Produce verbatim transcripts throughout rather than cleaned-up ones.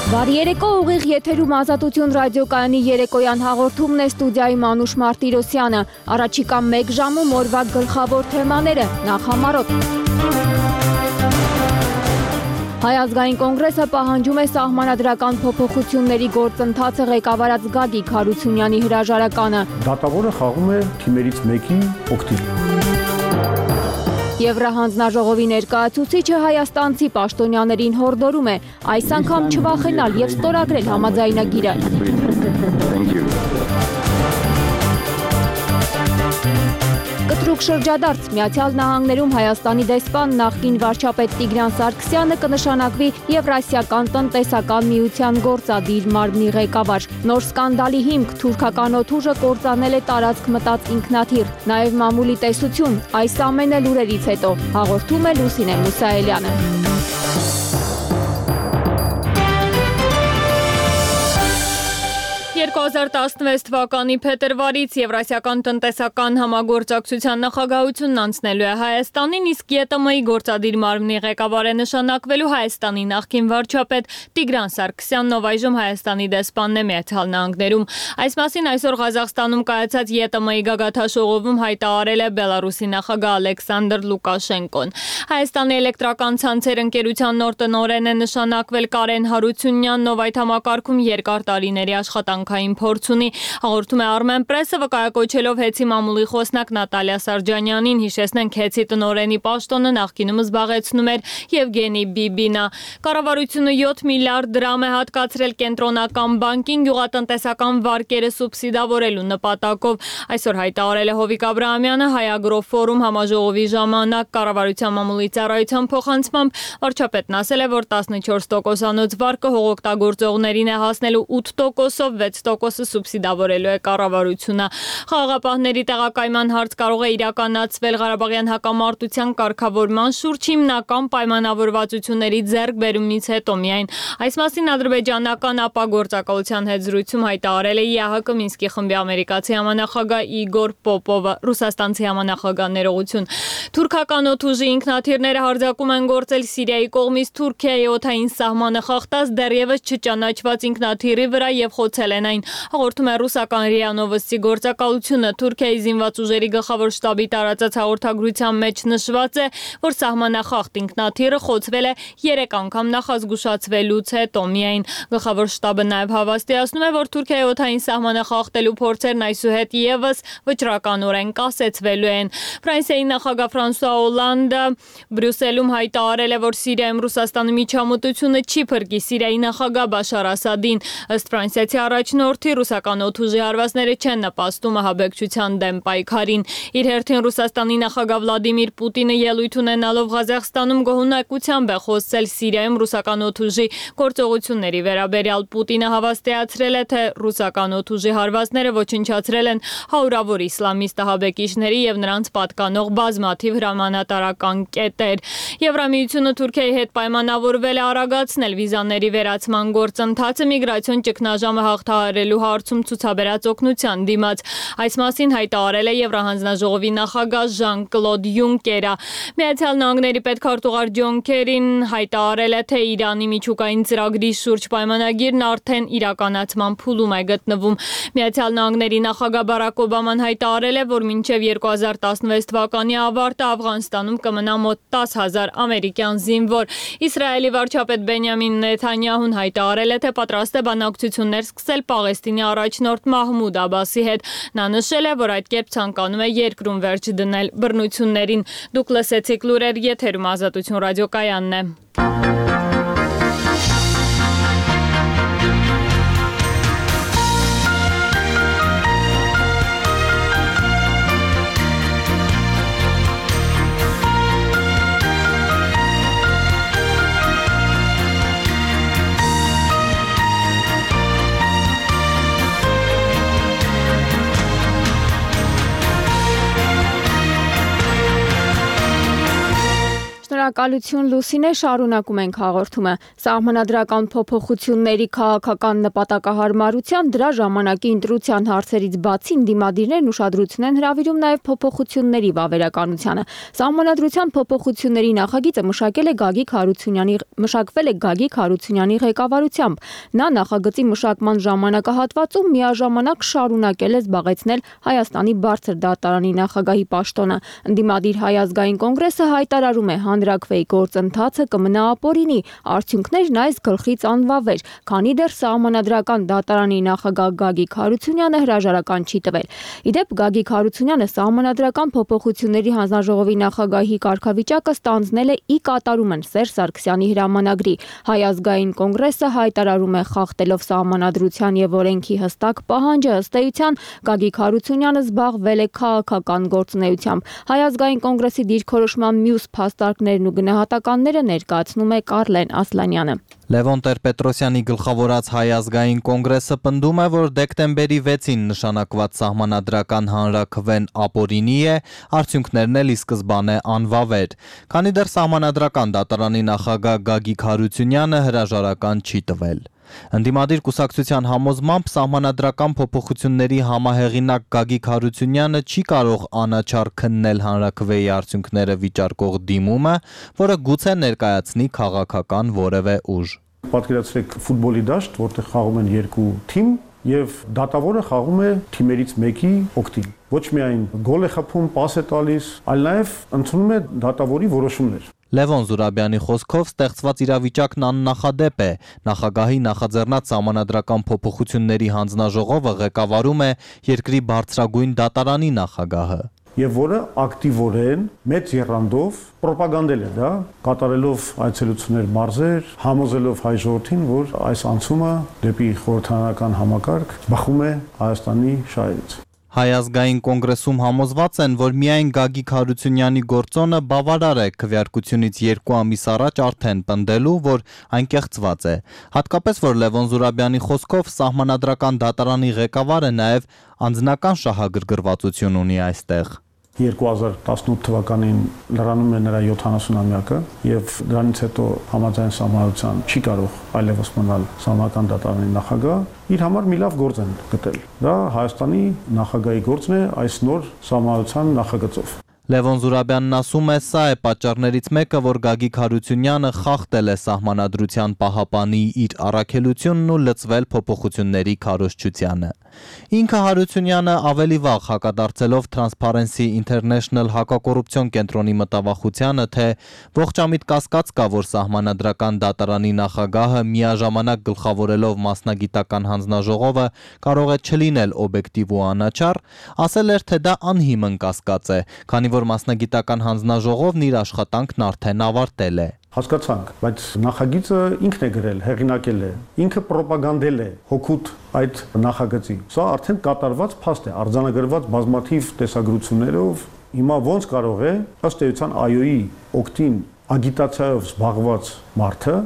Բարի երեկո, ուղիղ եթերում Ազատություն ռադիոկայանի երեկոյան հաղորդումն է, ստուդիայում Անուշ Մարտիրոսյանը։ Առաջիկա մեկ ժամում օրվա գլխավոր թեմաները, նախ համառոտ։ Հայ ազգային կոնգրեսը պահանջում է սահմանադրական փոփոխությունների գործընթացը ղեկավարած Գագիկ Հարությունյանի հրաժարականը։ Դատավորը խաղում է թիմերից մեկի օգտին։ Եվրահանձնաժողովի ներկայացուցիչը հայաստանցի պաշտոնյաներին հորդորում է այս անգամ չվախենալ և ստորագրել համաձայնագիրը։ Կտրուկ շրջադարձ Միացյալ Նահանգներում Հայաստանի դեսպան նախկին վարչապետ Տիգրան Սարգսյանը կնշանակվի Եվրասիական տնտեսական միության գործադիր մարմնի ղեկավար։ Նոր սկանդալի հիմք թուրքական օդուժը կործանել է տարածք մտած ինքնաթիռ, նաև մամուլի տեսություն, այս ամենը լուրերից հետո, հաղորդում է Լուսինե Մուսայելյանը։ երկու հազար տասնվեց թվականի փետրվարից Եվրասիական տնտեսական համագործակցության նախագահությունն անցնելու է Հայաստանին, իսկ ԵՏՄ-ի գործադիր մարմնի ղեկավար է նշանակվելու Հայաստանի նախկին վարչապետ Տիգրան Սարգսյանն, ով այժմ Հայաստանի դեսպանն է Միացյալ Նահանգներում։ Այս մասին այսօր Ղազախստանում կայացած ԵՏՄ-ի գագաթնաժողովում հայտարարել է Բելարուսի նախագահ Ալեքսանդր Լուկաշենկոն։ Հայաստանի էլեկտրական ցանցեր ընկերության նոր տնօրեն է նշանակվել Կարեն Հարությունյանն, ով այդ համակարգում երկար տարիների աշխատանքային փորձ ունի, հաղորդում է Armenpress-ը, վկայակոչելով ՀԵՑ-ի մամուլի խոսնակ Նատալիա Սարջանյանին, հիշեցնենք ՀԵՑ-ի տնօրենի պաշտոնը նախկինում զբաղեցնում էր Եվգենի Բիբինը։ Կառավարությունը յոթ միլիարդ դրամ է հատկացրել կենտրոնական բանկին գյուղատնտեսական վարկերը սուբսիդավորելու նպատակով։ Այսօր հայտարարել է Հովիկ Աբրահամյանը Հայ-Ագրո ֆորում համաժողովի ժամանակ կառավարության մամուլի ծառայության փոխանցմամբ վարչապետն ասել է, որ տասնչորս տոկոսանոց վարկը հողօգտագործողներին է հասնելու ութ տոկոսով, վեց տոկոսը սուբսիդավորելու է կառավարությունը։ Խաղաղապահների տեղակայման հարց կարող է իրականացվել Ղարաբաղյան հակամարտության կարգավորման շուրջ հիմնական պայմանավորվածությունների ձեռքբերումից հետո միայն։ Այս մասին ադրբեջանական ապագործակալության հետ զրույցում հայտարարել է ԵԱՀԿ Մինսկի խմբի ամերիկացի համանախագահ Իգոր Պոպովը, ռուսաստանցի համանախագահ ներողություն։ Թուրքական օդուժի ինքնաթիռները հարձակում են գործել Սիրիայի կողմից Թուրքիայի օդային սահմանը խախտած դեռևս չճանաչված ինքնաթիռի վրա և խոցել են այն, հաղորդում է ռուսական ՌԻԱ Նովոստի գործակալությունը։ Թուրքիայի զինված ուժերի գլխավոր շտաբի տարածած հաղորդագրության մեջ նշված է, որ սահմանախախտ ինքնաթիռը խոցվել է երեք անգամ նախազգուշացվելուց հետո միայն։ Գլխավոր շտաբը նաև հավաստիացնում է, որ Թուրքիայի օդային սահմանը խախտելու փորձերն այսուհետ ևս վճռականորեն կասեցվելու են։ Ֆրանսիայի նախագահ Ֆրանսուଆ Օլանդը Բրյուսելում հայտարարել է, որ Սիրիայում Ռուսաստանի միջամտությունը չի փրկի Սիրիայի նախագահ Բաշար Ասադին։ Ըստ ֆրանսիացի առաջնորդի, ռուսական օդուժի հարվածները չեն նպաստում ահաբեկչության դեմ պայքարին։ Իր հերթին Ռուսաստանի նախագահ Վլադիմիր Պուտինը ելույթ ունենալով Ղազախստանում գոհունակությամբ է խոսել Սիրիայում ռուսական օդուժի գործողությունների վերաբերյալ։ Պուտինը հավաստիացրել է, թե ռուսական օդուժի հարվածները ոչնչացրել են հարյուրավոր իսլամիստ ահաբեկիչների և նրանց պատկանող բազմաթիվ հրամանատարական կետեր։ Եվրամիությունը Թուրքիայի հետ պայմանավորվել է արագացնել վիզաների վերացման գործընթացը միգրացիոն ճգնաժամը հաղթահարելու հարցում ցուցաբերած օգնության դիմաց։ Այս մասին հայտարարել է Եվրահանձնաժողովի նախագահ Ժան-Կլոդ Յունկերը։ Միացյալ Նահանգների պետքարտուղար Ջոն Քերին հայտարարել է, թե Իրանի միջուկային ծրագրի շուրջ պայմանագիրն արդեն իրականացման փուլում է գտնվում։ Միացյալ Նահանգների նախագահ Բարակ Օբաման հայտարարել է, որ մինչև երկու հազար տասնվեց թվականի ավարտը Աֆղանստանում կմնա մոտ տաս հազար ամերիկյան զինվոր։ Իսրայելի վարչապետ Բենյամին Նեթանյահուն հայտարարել է, թե պատրաստ է բանակցություններ սկսել Պաղեստինի առաջնորդ Մահմուդ Աբասի հետ։ Նա նշել է, որ այդ կերպ ցանկանում է երկրում վերջ դնել բռնություններին։ Դուք լսեցիք լուրեր, եթերում Ազատություն ռադիոկայանն է։ Շնորհակալություն Լուսինե, շարունակում ենք հաղորդումը։ Սահմանադրական փոփոխությունների քաղաքական նպատակահարմարության դրա ժամանակի ընտրության հարցերից բացի ընդդիմադիրներն ուշադրություն են հրավիրում նաև փոփոխությունների վավերականությանը։ Սահմանադրության փոփոխությունների նախագիծը մշակել է Գագիկ Հարությունյանի մշակվել է Գագիկ Հարությունյանի ղեկավարությամբ։ Նա նախագծի մշակման ժամանակահատվածում միաժամանակ շարունակել է զբաղեցնել Հայաստանի բարձր դատարանի նախագահի պաշտոնը։ Ընդդիմադիր Հայ ազգային կոնգրեսը հայտարարում է հանրաքվեի գործընթացը կմնա ապօրինի, արդյունքներն այս գլխից անվավեր, քանի դեռ Սահմանադրական դատարանի նախագահ Գագիկ Հարությունյանը հրաժարական չի տվել։ Իդեպ Գագիկ Հարությունյանը Սահմանադրական փոփոխությունների հանձնաժողովի նախագահի կարգավիճակը ստանձնել է ի կատարումն Սերժ Սարգսյանի հրամանագրի։ Հայ ազգային կոնգրեսը հայտարարում է խախտելով Սահմանադրության եւ օրենքի հստակ պահանջը, ըստ էության Գագիկ Հարությունյանը զբաղվել է քաղաքական գործունեությամբ։ Հայ ազգային կոնգրեսի դիրքորոշման մյուս փաստարկներն ու գնահատականները ներկայացնում է Կարլեն Ասլանյանը։ Լևոն Տեր-Պետրոսյանի գլխավորած Հայ ազգային կոնգրեսը պնդում է, որ դեկտեմբերի վեցին նշանակված սահմանադրական հանրաքվեն ապօրինի է, արդյունքներն էլ ի սկզբանե անվավեր, քանի դեռ Սահմանադրական դատարանի նախագահ Գագիկ Հարությունյանը հրաժարական չի տվել։ Ընդդիմադիր կուսակցության համոզմամբ սահմանադրական փոփոխությունների համահեղինակ Գագիկ Հարությունյանը չի կարող անաչառ քննել հանրաքվեի արդյունքները վիճարկող դիմումը, որը գուցե ներկայացնի քաղաքական որևէ ուժ։ Պատկերացրեք ֆուտբոլի դաշտ, որտեղ խաղում են երկու թիմ եւ դատավորը խաղում է թիմերից մեկի օգտին։ Ոչ միայն գոլ է խփում, պաս է տալիս, այլ նաեւ ընդունում է դատավորի որոշումներ։ Լևոն Զուրաբյանի խոսքով ստեղծված իրավիճակն աննախադեպ է։ Նախագահի նախաձեռնած սահմանադրական փոփոխությունների հանձնաժողովը ղեկավարում է երկրի բարձրագույն դատարանի նախագահը։ Եվ որը ակտիվորեն մեծ եռանդով պրոպագանդել է դա, կատարելով այցելություններ մարզեր, համոզելով հայ ժողովրդին, որ այս անցումը դեպի խորհրդարանական համակարգ բխում է Հայաստանի շահերից։ Հայ ազգային կոնգրեսում համոզված են, որ միայն Գագիկ Հարությունյանի գործոնը բավարար է քվեարկությունից երկու ամիս առաջ արդեն պնդելու, որ այն կեղծված է։ Հատկապես, որ Լևոն Զուրաբյանի խոսքով Սահմանադրական դատարանի ղեկավարը նաև անձնական շահագրգռվածություն ունի այստեղ։ երկու հազար տասնութ թվականին լրանում է նրա յոթանասունամյակը եւ դրանից հետո համաձայն սահմանադրության չի կարող այլևս մնալ Սահմանադրական դատարանի նախագահ, իր համար մի լավ գործ են գտել։ Դա Հայաստանի նախագահի գործն է այս նոր սահմանադրության նախագծով։ Լևոն Զուրաբյանն ասում է, սա է պատճառներից մեկը, որ Գագիկ Հարությունյանը խախտել է Սահմանադրության պահապանի իր առաքելությունն ու լծվել փոփոխությունների քարոզչությանը։ Ինքը Հարությունյանը ավելի վաղ հակադարձելով Transparency International հակակոռուպցիոն կենտրոնի մտավախությանը, թե ողջամիտ կասկած կա, որ Սահմանադրական դատարանի նախագահը միաժամանակ գլխավորելով մասնագիտական հանձնաժողովը կարող է չլինել օբյեկտիվ ու անաչառ, ասել էր, թե դա անհիմն կասկած է, քանի որ մասնագիտական հանձնաժողովն իր աշխատանքն արդեն ավարտել է։ Հասկացանք, բայց նախագիծը ինքն է գրել, հեղինակել է, ինքը պրոպագանդել է հօգուտ այդ նախագծի։ Սա արդեն կատարված փաստ է, արձանագրված բազմաթիվ տեսագրություններով։ Հիմա ոնց կարող է ըստ էության ԱՅՈ-ի օգտին ագիտացիայով զբաղված մարդը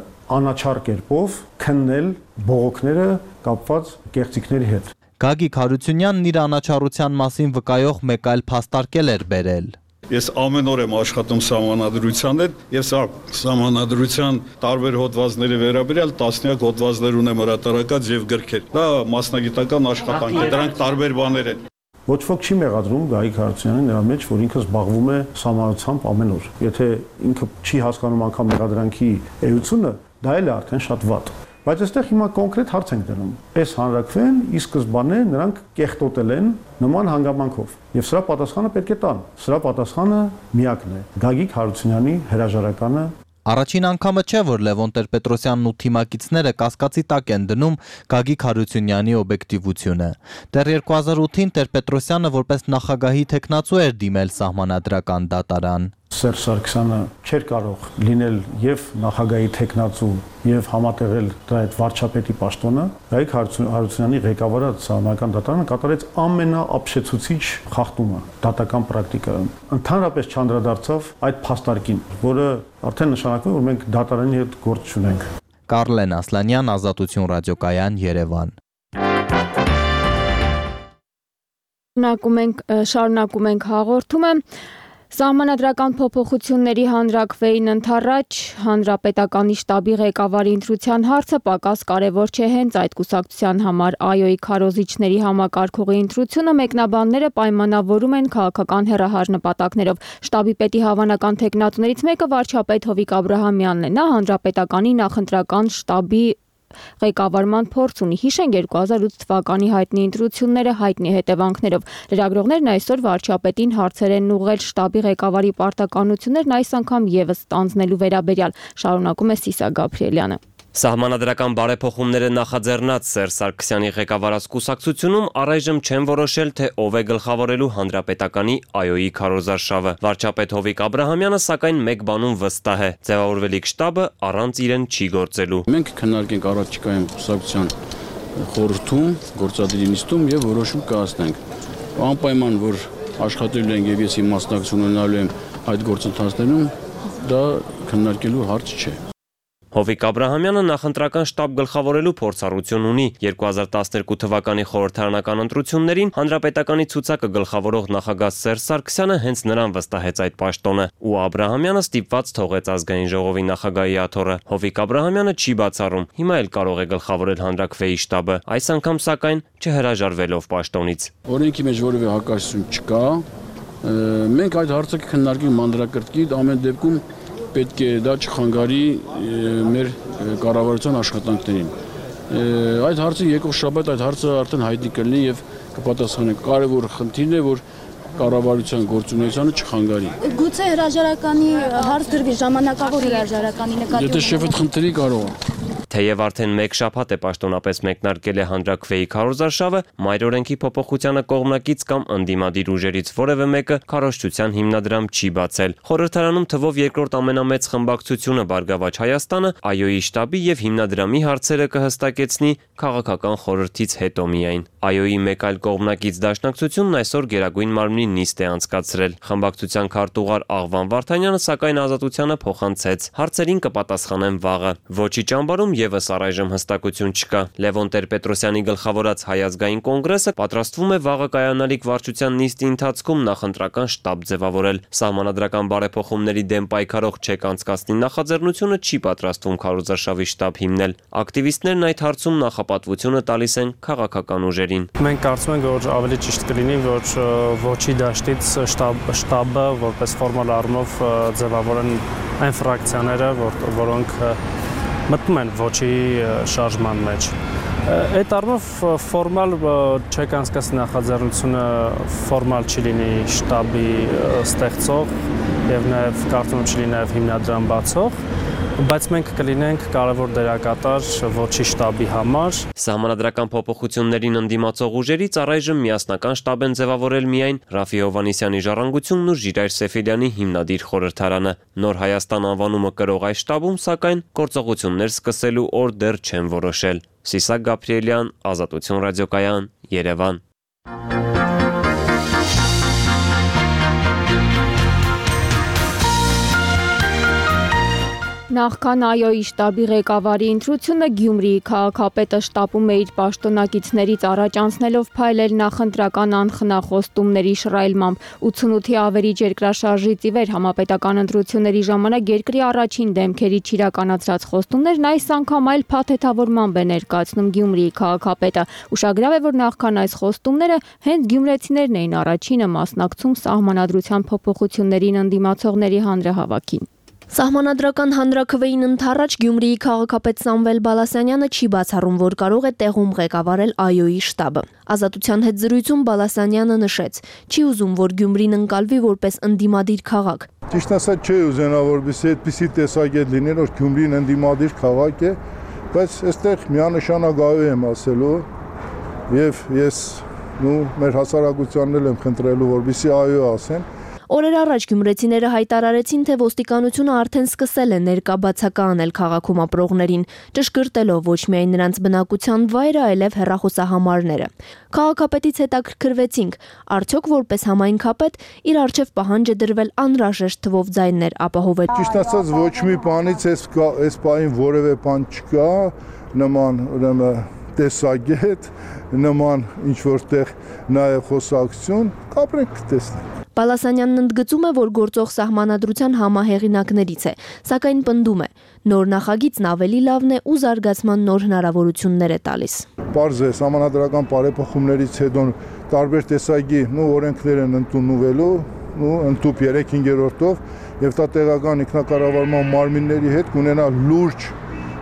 անաչառ կերպով քննել բողոքները կապված կեղծիքների հետ։ Գագիկ Հարությունյանն իր անաչառության մասին վկայող մեկ այլ փաստարկել էր բերել։ Ես ամեն օր եմ աշխատում սահմանադրության հետ եւ սա սահմանադրության տարբեր հոդվածների վերաբերյալ տասնյակ հոդվածներ ունեմ հրատարակած եւ գրքեր։ Դա մասնագիտական աշխատանք է, դրանք տարբեր բաներ են։ Ոչ ոք չի մեղադրում Գագիկ Հարությունյանին նրա մեջ, որ ինքը զբաղվում է սահմանադրությամբ ամեն օր։ Եթե ինքը չի հասկանում անգամ մեղադրանքի էությունը, դա էլ է արդեն շատ վատ։ Բայց այստեղ հիմա կոնկրետ հարց ենք դնում։ Այս հանրաքվեն ի սկզբանե նրանք կեղտոտել են նման հանգամանքով։ Եվ սրա պատասխանը պետք է տան։ Սրա պատասխանը միակն է։ Գագիկ Հարությունյանի հրաժարականը։ Առաջին անգամը չէ, որ Լևոն Տեր-Պետրոսյանն ու թիմակիցները կասկածի տակ են դնում Գագիկ Հարությունյանի օբյեկտիվությունը։ Դեռ երկու հազար ութին Տեր-Պետրոսյանը որպես նախագահի թեկնածու էր դիմել Սահմանադրական դատարան։ Սերժ Սարգսյանը չէր կարող լինել եւ նախագահի թեկնածու եւ համատեղել դրա այդ վարչապետի պաշտոնը։ Գագիկ Հարությունյանի ղեկավարած Սահմանադրական դատարանը կատարեց ամենաապշեցուցիչ խախտումը դատական պրակտիկայում։ Ընդհանրապես չանդրադարձավ այդ փաստարկին, որը արդեն նշանակում է, որ մենք դատարանի հետ գործ չունենք։ Կարլեն Ասլանյան, Ազատություն ռադիոկայան, Երևան։ Շարունակում ենք շարունակում ենք հաղորդումը։ Սահմանադրական փոփոխությունների հանրաքվեին ընթառաջ հանրապետականի շտաբի ղեկավարի ընտրության հարցը պակաս կարևոր չէ հենց այդ կուսակցության համար ԱՅՈ-ի քարոզիչների համակարգողի ընտրությունը մեկնաբանները պայմանավորում են քաղաքական հեռահար նպատակներով։ Շտաբի պետի հավանական թեկնածուներից մեկը վարչապետ Հովիկ Աբրահամյանն է։ Նա հանրապետականի նախընտրական շտաբի ղեկավարման փորձ ունի։ Հիշենք երկու հազար ութ թվականի հայտնի ընտրությունները հայտնի հետևանքներով։ Լրագրողներն այսօր վարչապետին հարցեր են ուղղել շտաբի ղեկավարի պարտականություններն այս անգամ եւս ստանձնելու վերաբերյալ։ Շարունակում է Սիսա Գաբրիելյանը։ Սահմանադրական բարեփոխումները նախաձեռնած Սերժ Սարգսյանի ղեկավարած կուսակցությունում առայժմ չեն որոշել, թե ով է գլխավորելու հանրապետականի ԱՅՈ-ի քարոզարշավը։ Վարչապետ Հովիկ Աբրահամյանը սակայն մեկ բանում վստահ է՝ ձևավորվելիք շտաբը առանց իրեն չի գործելու։ Մենք քննարկենք առաջիկայում կուսակցության խորհրդում, գործադիրի նիստում եւ որոշում կայացնենք։ Անպայման որ աշխատելու ենք եւ ես իմ մասնակցություն ունենալու եմ այդ գործընթացներում, դա քննարկելու հարց չէ։ Հովիկ Աբրահամյանը նախընտրական շտաբ գլխավորելու փորձառություն ունի։ երկու հազար տասներկու թվականի խորհրդարանական ընտրություններին հանրապետականի ցուցակը գլխավորող նախագահ Սերժ Սարգսյանը հենց նրան վստահեց այդ պաշտոնը, ու Աբրահամյանը ստիպված թողեց ազգային ժողովի նախագահի աթոռը։ Հովիկ Աբրահամյանը չի բացառում, հիմա էլ կարող է գլխավորել հանրաքվեի շտաբը, այս անգամ սակայն չհրաժարվելով պաշտոնից։ Օրենքի մեջ որևէ հակասություն չկա։ Մենք այդ հարցը կքննարկենք մանրակրկիտ, ամեն դեպքում պետք է դա չխանգարի մեր կառավարության աշխատանքներին։ Այդ հարցը եկող շաբաթ այդ հարցը արդեն հայտնի կլինի եւ կպատասխանենք։ Կարևոր խնդիրն է, որ կառավարության գործունեությանը չխանգարի։ Գուցե հրաժարականի հարց դրվի, ժամանակավոր հրաժարականի նկատի։ Եթե շեֆը խնդրի կարող է։ Թեև արդեն մեկ շաբաթ է պաշտոնապես մեկնարկել է հանրաքվեի քարոզարշավը, մայր օրենքի փոփոխությանը կողմնակից կամ ընդդիմադիր ուժերից որևէ մեկը քարոզչության հիմնադրամ չի բացել։ Խորհրդարանում թվով երկրորդ ամենամեծ խմբակցությունը Բարգավաճ Հայաստանը ԱՅՈ-ի շտաբի եւ հիմնադրամի հարցերը կհստակեցնի քաղաքական խորհրդից հետո միայն։ ԱՅՈ-ի մեկ այլ կողմնակից դաշնակցությունն այսօր Գերագույն մարմնի նիստ է անցկացրել։ Խմբակցության քարտուղար Աղվան Վարդանյանը սակայն Ազատությանը փոխանցեց. հարցերին կպատասխանեն վաղը։ Ոչի ճամբարում եւս առայժմ հստակություն չկա։ Լևոն Տեր-Պետրոսյանի գլխավորած Հայ ազգային կոնգրեսը պատրաստվում է վաղը կայանալիք վարչության նիստի ընթացքում նախընտրական շտաբ ձևավորել։ Սահմանադրական բարեփոխումների դեմ պայքարող ՉԵԿ անցկացնի նախաձեռնությունը չի պատրաստվում քարոզարշավի շտաբ հիմնել։ Ակտիվիստներն այդ հարցում նախապատվությունը տալիս են քաղաքական ուժերին։ Մենք կարծում ենք, որ ավելի ճիշտ կլինի, որ ոչի դաշտից շտաբ շտաբը որպես ֆորմալ առումով ձևավորեն այն ֆրակցիաները, որոնք մտնում են ոչի շարժման մեջ։ Այդ առումով ֆորմալ ЧԵԿ անցկացնի նախաձեռնությունը ֆորմալ չի լինի շտաբի ստեղծող եւ նաեւ կարծում եմ չի լինի նաեւ հիմնադրամ բացող, բայց մենք կլինենք կարևոր դերակատար ոչի շտաբի համար։ Սահմանադրական փոփոխություններին ընդդիմացող ուժերից առայժմ միասնական շտաբ են ձևավորել միայն Ռաֆի Հովհաննիսյանի ժառանգությունն ու Ժիրայր Սեֆիլյանի հիմնադիր խորհրդարանը։ Նոր Հայաստան անվանումը կրող այս շտաբում սակայն գործողություններ սկսելու օր դեռ չեն որոշել։ Սիսա Գաբրիելյան, Ազատություն ռադիոկայան, Երևան։ Նախքան ԱՅՈ-ի շտաբի ղեկավարի ընտրությունը Գյումրիի քաղաքապետը շտապում է իր պաշտոնակիցներից առաջ անցնելով փայլել նախընտրական անխնախոստումների շռայլմամբ։ ութանութի ավերիչ երկրաշարժից ի վեր համապետական ընտրությունների ժամանակ երկրի առաջին դեմքերից իրականացրած խոստումներն այս անգամ այլ փաթեթավորմամբ է ներկայացնում Գյումրիի քաղաքապետը։ Ուշագրավ է, որ նախքան այս խոստումները հենց գյումրեցիներն էին առաջինը մասնակցում սահմանադրության փոփոխություններին ընդդիմացողների հանրահավաքին։ Սահմանադրական հանրաքվեին ընթառաջ Գյումրիի քաղաքապետ Սամվել Բալասանյանը չի բացառում, որ կարող է տեղում ղեկավարել ԱՅՈ-ի շտաբը։ Ազատության հետ զրույցում Բալասանյանը նշեց. չի ուզում, որ Գյումրին ընկալվի որպես ընդդիմադիր քաղաք։ Ճիշտ ասած չի ուզենա, որպեսզի այդպիսի տեսակետ լիներ, որ Գյումրին ընդդիմադիր քաղաք է, բայց այստեղ միանշանակ ԱՅՈ եմ ասելու եւ ես նու մեր հասարակությանն էլ եմ խնդրելու, որպեսզի ԱՅՈ ասեն։ Օրեր առաջ գյումրեցիները հայտարարեցին, թե ոստիկանությունը արդեն սկսել է ներկա բացակայանել քաղաքում ապրողներին, ճշգրտելով ոչ միայն նրանց բնակության վայրը, այլև հեռախոսահամարները։ Քաղաքապետից հետաքրքրվեցինք, արդյոք որպես համայնքապետ իր առջև պահանջ է դրվել անհրաժեշտ թվով ձայներ ապահովել։ Ճիշտ ասած ոչ մի բանից այս պահին որևէ բան չկա, նման ուրեմն տեսագետ, նման ինչ որտեղ նաև խոսակցություն, կապրենք տեսնենք։ Բալասանյանն ընդգծում է, որ գործող սահմանադրության համահեղինակներից է, սակայն պնդում է, նոր նախագիծն ավելի լավն է ու զարգացման նոր հնարավորություններ է տալիս։ Պարզ է, սահմանադրական բարեփոխումներից հետո տարբեր տեսակի օրենքներ են ընդունվելու, ընդཐུպ երեք-հինգերորդով եւ դա տեղական ինքնակառավարման մարմինների հետ կունենա լուրջ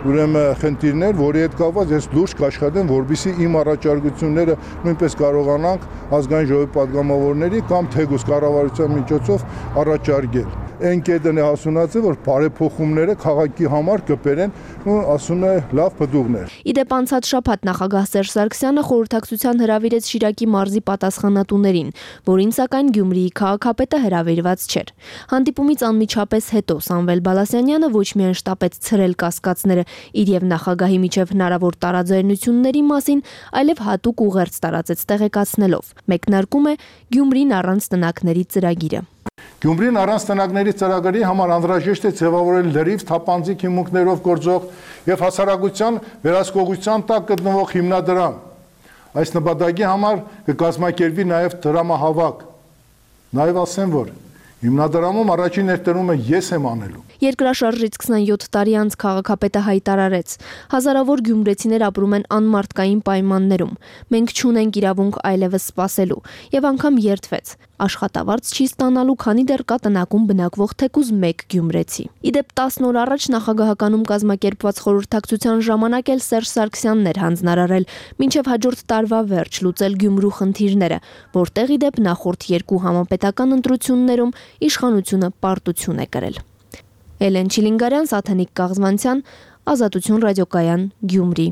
ուրեմն խնդիրներ, որի հետ կապված ես լուրջ կաշխատեմ, որպեսզի իմ առաջարկությունները նույնպես կարողանանք ազգային ժողովի падգամավորների կամ թեկուզ կառավարության միջոցով առաջարկել։ Այն կետն է հասունացել, որ բարեփոխումները քաղաքի համար կբերեն ու ասում է լավ բդուղներ։ Իդեպ անցած շաբաթ նախագահ Սերժ Սարգսյանը խորհրդակցության հրավիրեց Շիրակի մարզի պատասխանատուներին, որին սակայն Գյումրիի քաղաքապետը հրավիրված չէր։ Հանդիպումից անմիջապես հետո Սամվել Բալասանյանը ոչ միայն շտապեց ցրել կասկածները իր եւ նախագահի միջև հնարավոր տարաձայնությունների մասին, այլև հատուկ ուղերձ տարածեց տեղեկացնելով։ Մեկնարկում է Գյումրին առանց տնակների ծրագիրը։ Գյումրին առանց տնակների ծրագրի համար անհրաժեշտ է ձևավորել լրիվ թափանցիկ հիմունքներով գործող եւ հասարակության վերահսկողության տակ գտնվող հիմնադրամ։ Այս նպատակի համար կկազմակերպվի նաեւ դրամահավաք։ Նաեւ ասեմ, որ հիմնադրամում առաջին ներդրումը ես եմ անելու։ Երկրաշարժից քսաներորդ տարի անց քաղաքապետը հայտարարեց. հազարավոր գյումրեցիներ ապրում են անմարդկային պայմաններում։ Մենք չունենք իրավունք այլևս սպասելու եւ անգամ երդվեց. աշխատավարձ չի ստանալու, քանի դեռ կա տնակում բնակվող թեկուզ մեկ գյումրեցի։ Իդեպ տասն օր առաջ նախագահականում կազմակերպված խորհրդակցության ժամանակ էլ Սերժ Սարգսյանն էր հանձնարարել մինչև հաջորդ տարվա վերջ լուծել Գյումրու խնդիրները, որտեղ իդեպ նախորդ երկու համապետական ընտրություններում իշխանությունը պարտություն է կրել։ Էլեն Չիլինգարյան, Սաթենիկ Կաղզմանցյան, Ազատություն ռադիոկայան, Գյումրի։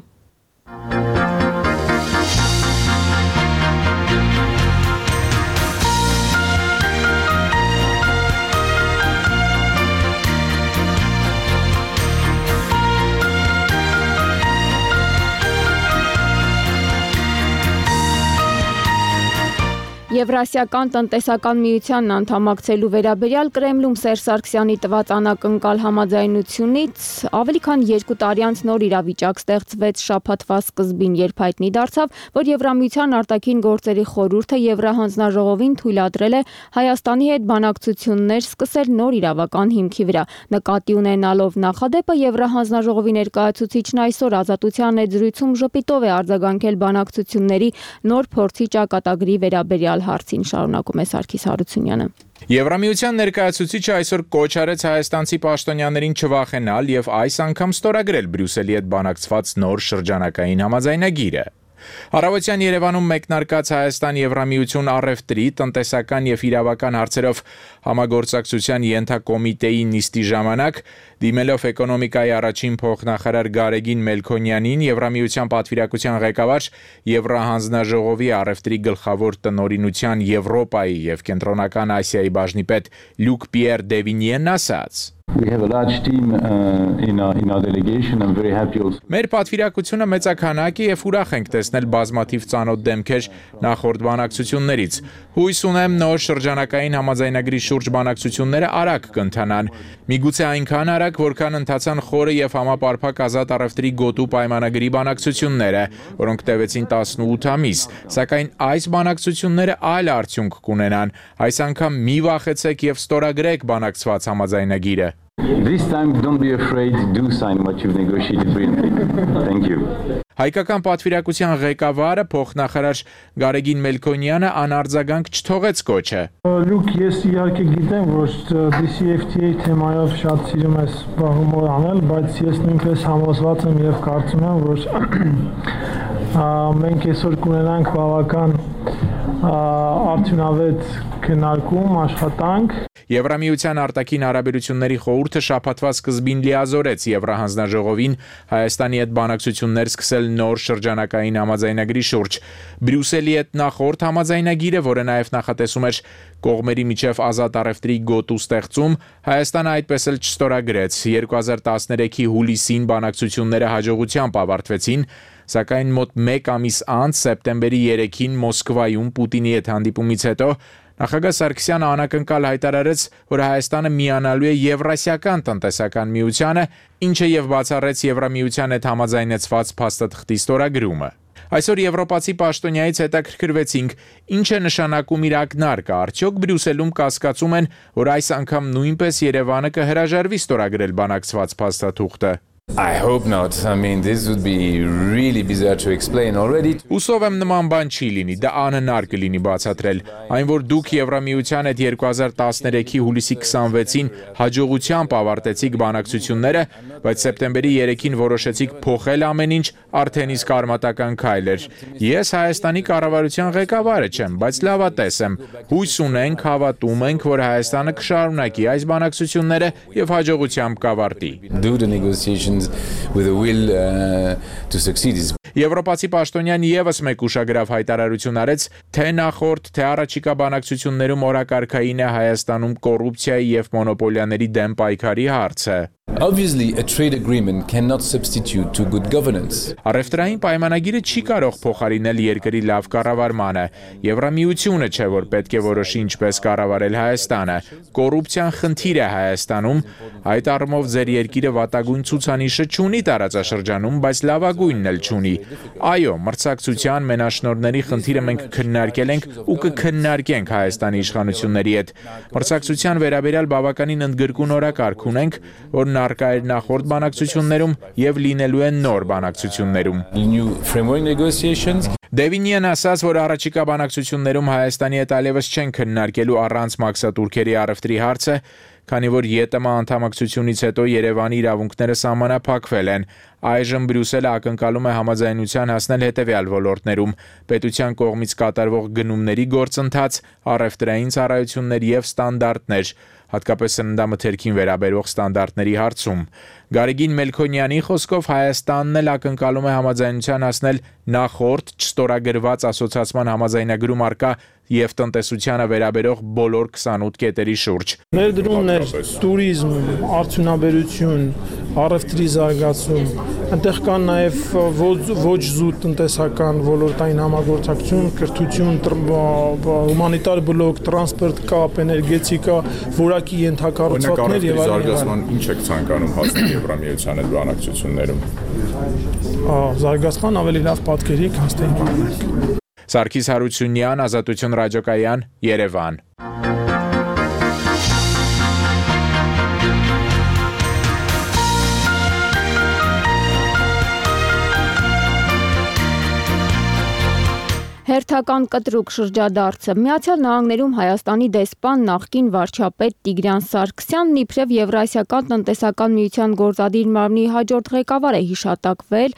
Եվրասիական տնտեսական միությանն անդամակցելու վերաբերյալ Կրեմլում Սերժ Սարգսյանի տված անակնկալ համաձայնությունից ավելի քան երկու տարի անց նոր իրավիճակ ստեղծվեց շաբաթվա սկզբին, երբ հայտնի դարձավ, որ Եվրամիության արտաքին գործերի խորհուրդը Եվրահանձնաժողովին թույլատրել է Հայաստանի հետ բանակցություններ սկսել նոր իրավական հիմքի վրա։ Նկատի ունենալով նախադեպը Եվրահանձնաժողովի ներկայացուցիչն այսօր Ազատության եզրույցում ժպիտով է արձագանքել բանակցությունների նոր փորձի ճակատագրի վերաբերյալ հարցին, շարունակում է Սարգիս Հարությունյանը։ Եվրամիության ներկայացուցիչը այսօր կոչ արեց հայաստանցի պաշտոնյաներին չվախենալ եւ այս անգամ ստորագրել Բրյուսելի հետ բանակցված նոր շրջանակային համաձայնագիրը։ Առավոտյան Երևանում մեկնարկած Հայաստան-Եվրամիություն առևտրի, տնտեսական եւ իրավական հարցերով համագործակցության ենթակոմիտեի նիստի ժամանակ դիմելով էկոնոմիկայի առաջին փոխնախարար Գարեգին Մելքոնյանին, Եվրամիության պատվիրակության ղեկավար, Եվրահանձնաժողովի առևտրի գլխավոր տնօրինության Եվրոպայի եւ Կենտրոնական Ասիայի բաժնի պետ Լյուկ Պիեր Դևինիեն ասաց. We have a large team uh, in, our, in our delegation. I'm very happy also. Մեր պատվիրակությունը մեծաքանակ է եւ ուրախ ենք տեսնել բազմաթիվ ծանոթ դեմքեր նախորդ բանակցություններից։ Հույս ունեմ նոր շրջանակային համաձայնագրի շուրջ բանակցությունները արագ կընթանան։ Միգուցե այնքան արագ, որքան ընթացան խորը եւ համապարփակ ազատ առևտրի գոտու պայմանագրի բանակցությունները, որոնք տևեցին տասնութ ամիս, սակայն այս բանակցությունները այլ արդյունք կունենան։ Այս անգամ մի վախեցեք եւ ստորագրեք բանակցված համաձայնագիրը։ This time don't be afraid, do sign what you've negotiated brilliantly. Thank you. Հայկական պատվիրակության ղեկավարը փոխնախարար Գարեգին Մելքոնյանը անարձագանք չթողեց կոչը։ Լուկ, ես իհարկե գիտեմ, որ D C F T A թեմայով շատ սիրում ես զբաղումով անել, բայց ես նույնպես համոզված եմ եւ կարծում եմ, որ մենք այսօր կունենանք բավական արդյունավետ քննարկում, աշխատանք։ Եվրամիության արտաքին հարաբերությունների խորհուրդը շաբաթվա սկզբին լիազորեց Եվրահանձնաժողովին Հայաստանի հետ բանակցություններ սկսել նոր շրջանակային համաձայնագրի շուրջ։ Բրյուսելի հետ նախորդ համաձայնագիրը, որը նաև նախատեսում էր կողմերի միջև ազատ առևտրի գոտու ստեղծում, Հայաստանը այդպես էլ չստորագրեց։ երկու հազար տասներեքի հուլիսին բանակցությունները հաջողությամբ ավարտվեցին, սակայն մոտ մեկ ամիս անց սեպտեմբերի երեքին Մոսկվայում Պուտինի հետ հանդիպումից հետո նախագահ Սարգսյանը անակնկալ հայտարարեց, որ Հայաստանը միանալու է Եվրասիական տնտեսական միությանը, ինչը եւ բացառեց Եվրամիության հետ համաձայնեցված փաստաթղթի ստորագրումը։ Այսօր եվրոպացի պաշտոնյայից հետաքրքրվեցինք, ինչ է նշանակում իր ակնարկը, արդյոք Բրյուսելում կասկածում են, որ այս անգամ նույնպես Երևանը կհրաժարվի ստորագրել բանակցված փաստաթուղթը։ I hope not. I mean, this would be really bizarre to explain already. Ուսով եմ նման բան չի լինի, դա անհնար կլինի բացատրել։ Այն որ դուք Եվրամիության հետ երկու հազար տասներեքի հուլիսի քսանվեցին հաջողությամբ ավարտեցիք բանակցությունները, բայց սեպտեմբերի երեքին որոշեցիք փոխել ամեն ինչ, արդեն իսկ արմատական քայլ էր։ Ես Հայաստանի կառավարության ղեկավարը չեմ, բայց լավատես եմ։ Հույս ունենք, հավատում ենք, որ Հայաստանը կշարունակի այս բանակցությունները եւ հաջողությամբ կավարտի։ Do the negotiations with a will uh, to succeed. Եվրոպացի պաշտոնյան եւս մեկ ուշագրավ հայտարարություն արեց, թե նախորդ, թե առաջիկա բանակցություններում օրակարգային է Հայաստանում կոռուպցիայի եւ մոնոպոլիաների դեմ պայքարի հարցը։ Obviously, a trade agreement cannot substitute to good governance. Առևտրային պայմանագիրը չի կարող փոխարինել երկրի լավ կառավարմանը։ Եվրամիությունը չէ, որ պետք է որոշի ինչպես կառավարել Հայաստանը։ Կոռուպցիան խնդիր է Հայաստանում, այդ առումով ձեր երկիրը վատագույն ցուցանիշը չունի տարածաշրջանում, բայց լավագույնն էլ չունի։ Այո, մրցակցության մենաշնորհների խնդիրը մենք քննարկել ենք ու կքննարկենք Հայաստանի իշխանությունների հետ։ Մրցակցության վերաբերյալ բավականին ընդգրկուն օրակարգ ունենք, որ արկա էր նախորդ բանակցություններում եւ լինելու են նոր բանակցություններում։ New framework negotiations. Դևինյան ասաց, որ առաջիկա բանակցություններում Հայաստանի հետ այլևս չեն քննարկելու առանց մաքսատուրքերի առևտրի հարցը, քանի որ ԵՏՄ անդամակցությունից հետո Երևանի իրավունքները սահմանափակվել են։ Այժմ Բրյուսելը ակնկալում է համաձայնության հասնել հետևյալ ոլորտներում՝ պետության կողմից կատարվող գնումների գործընթաց, առևտրային ծառայություններ եւ ստանդարտներ, հատկապես սննդամթերքին վերաբերող ստանդարտների հարցում։ Գարեգին Մելքոնյանի խոսքով Հայաստանն էլ ակնկալում է համաձայնության հասնել նախորդ չստորագրված ասոցիացիան համաձայնագրում առկա եւ տնտեսությանը վերաբերող բոլոր քսանութ կետերի շուրջ։ Ներդրումներ, տուրիզմ, արդյունաբերություն, առևտրի զարգացում, այնտեղ կան նաեւ ոչ զուտ տնտեսական ոլորտային համագործակցություն, կրթություն, հումանիտար բլոկ, տրանսպորտ կապ, էներգետիկա, որակի ենթակառուցվածքներ եւ այլն։ Ինչ եք ցանկանում հասնել Եվրամիության հետ բանակցություններում։ Զարգացման ավելի լավ պատկերի հաստատել բանակ։ Սարգիս Հարությունյան, Ազատություն ռադիոկայան, Երևան։ Հերթական կտրուկ շրջադարձը Միացյալ Նահանգներում Հայաստանի դեսպան նախկին վարչապետ Տիգրան Սարգսյանն իբրև Եվրասիական տնտեսական միության գործադիր մարմնի հաջորդ ղեկավար է հիշատակվել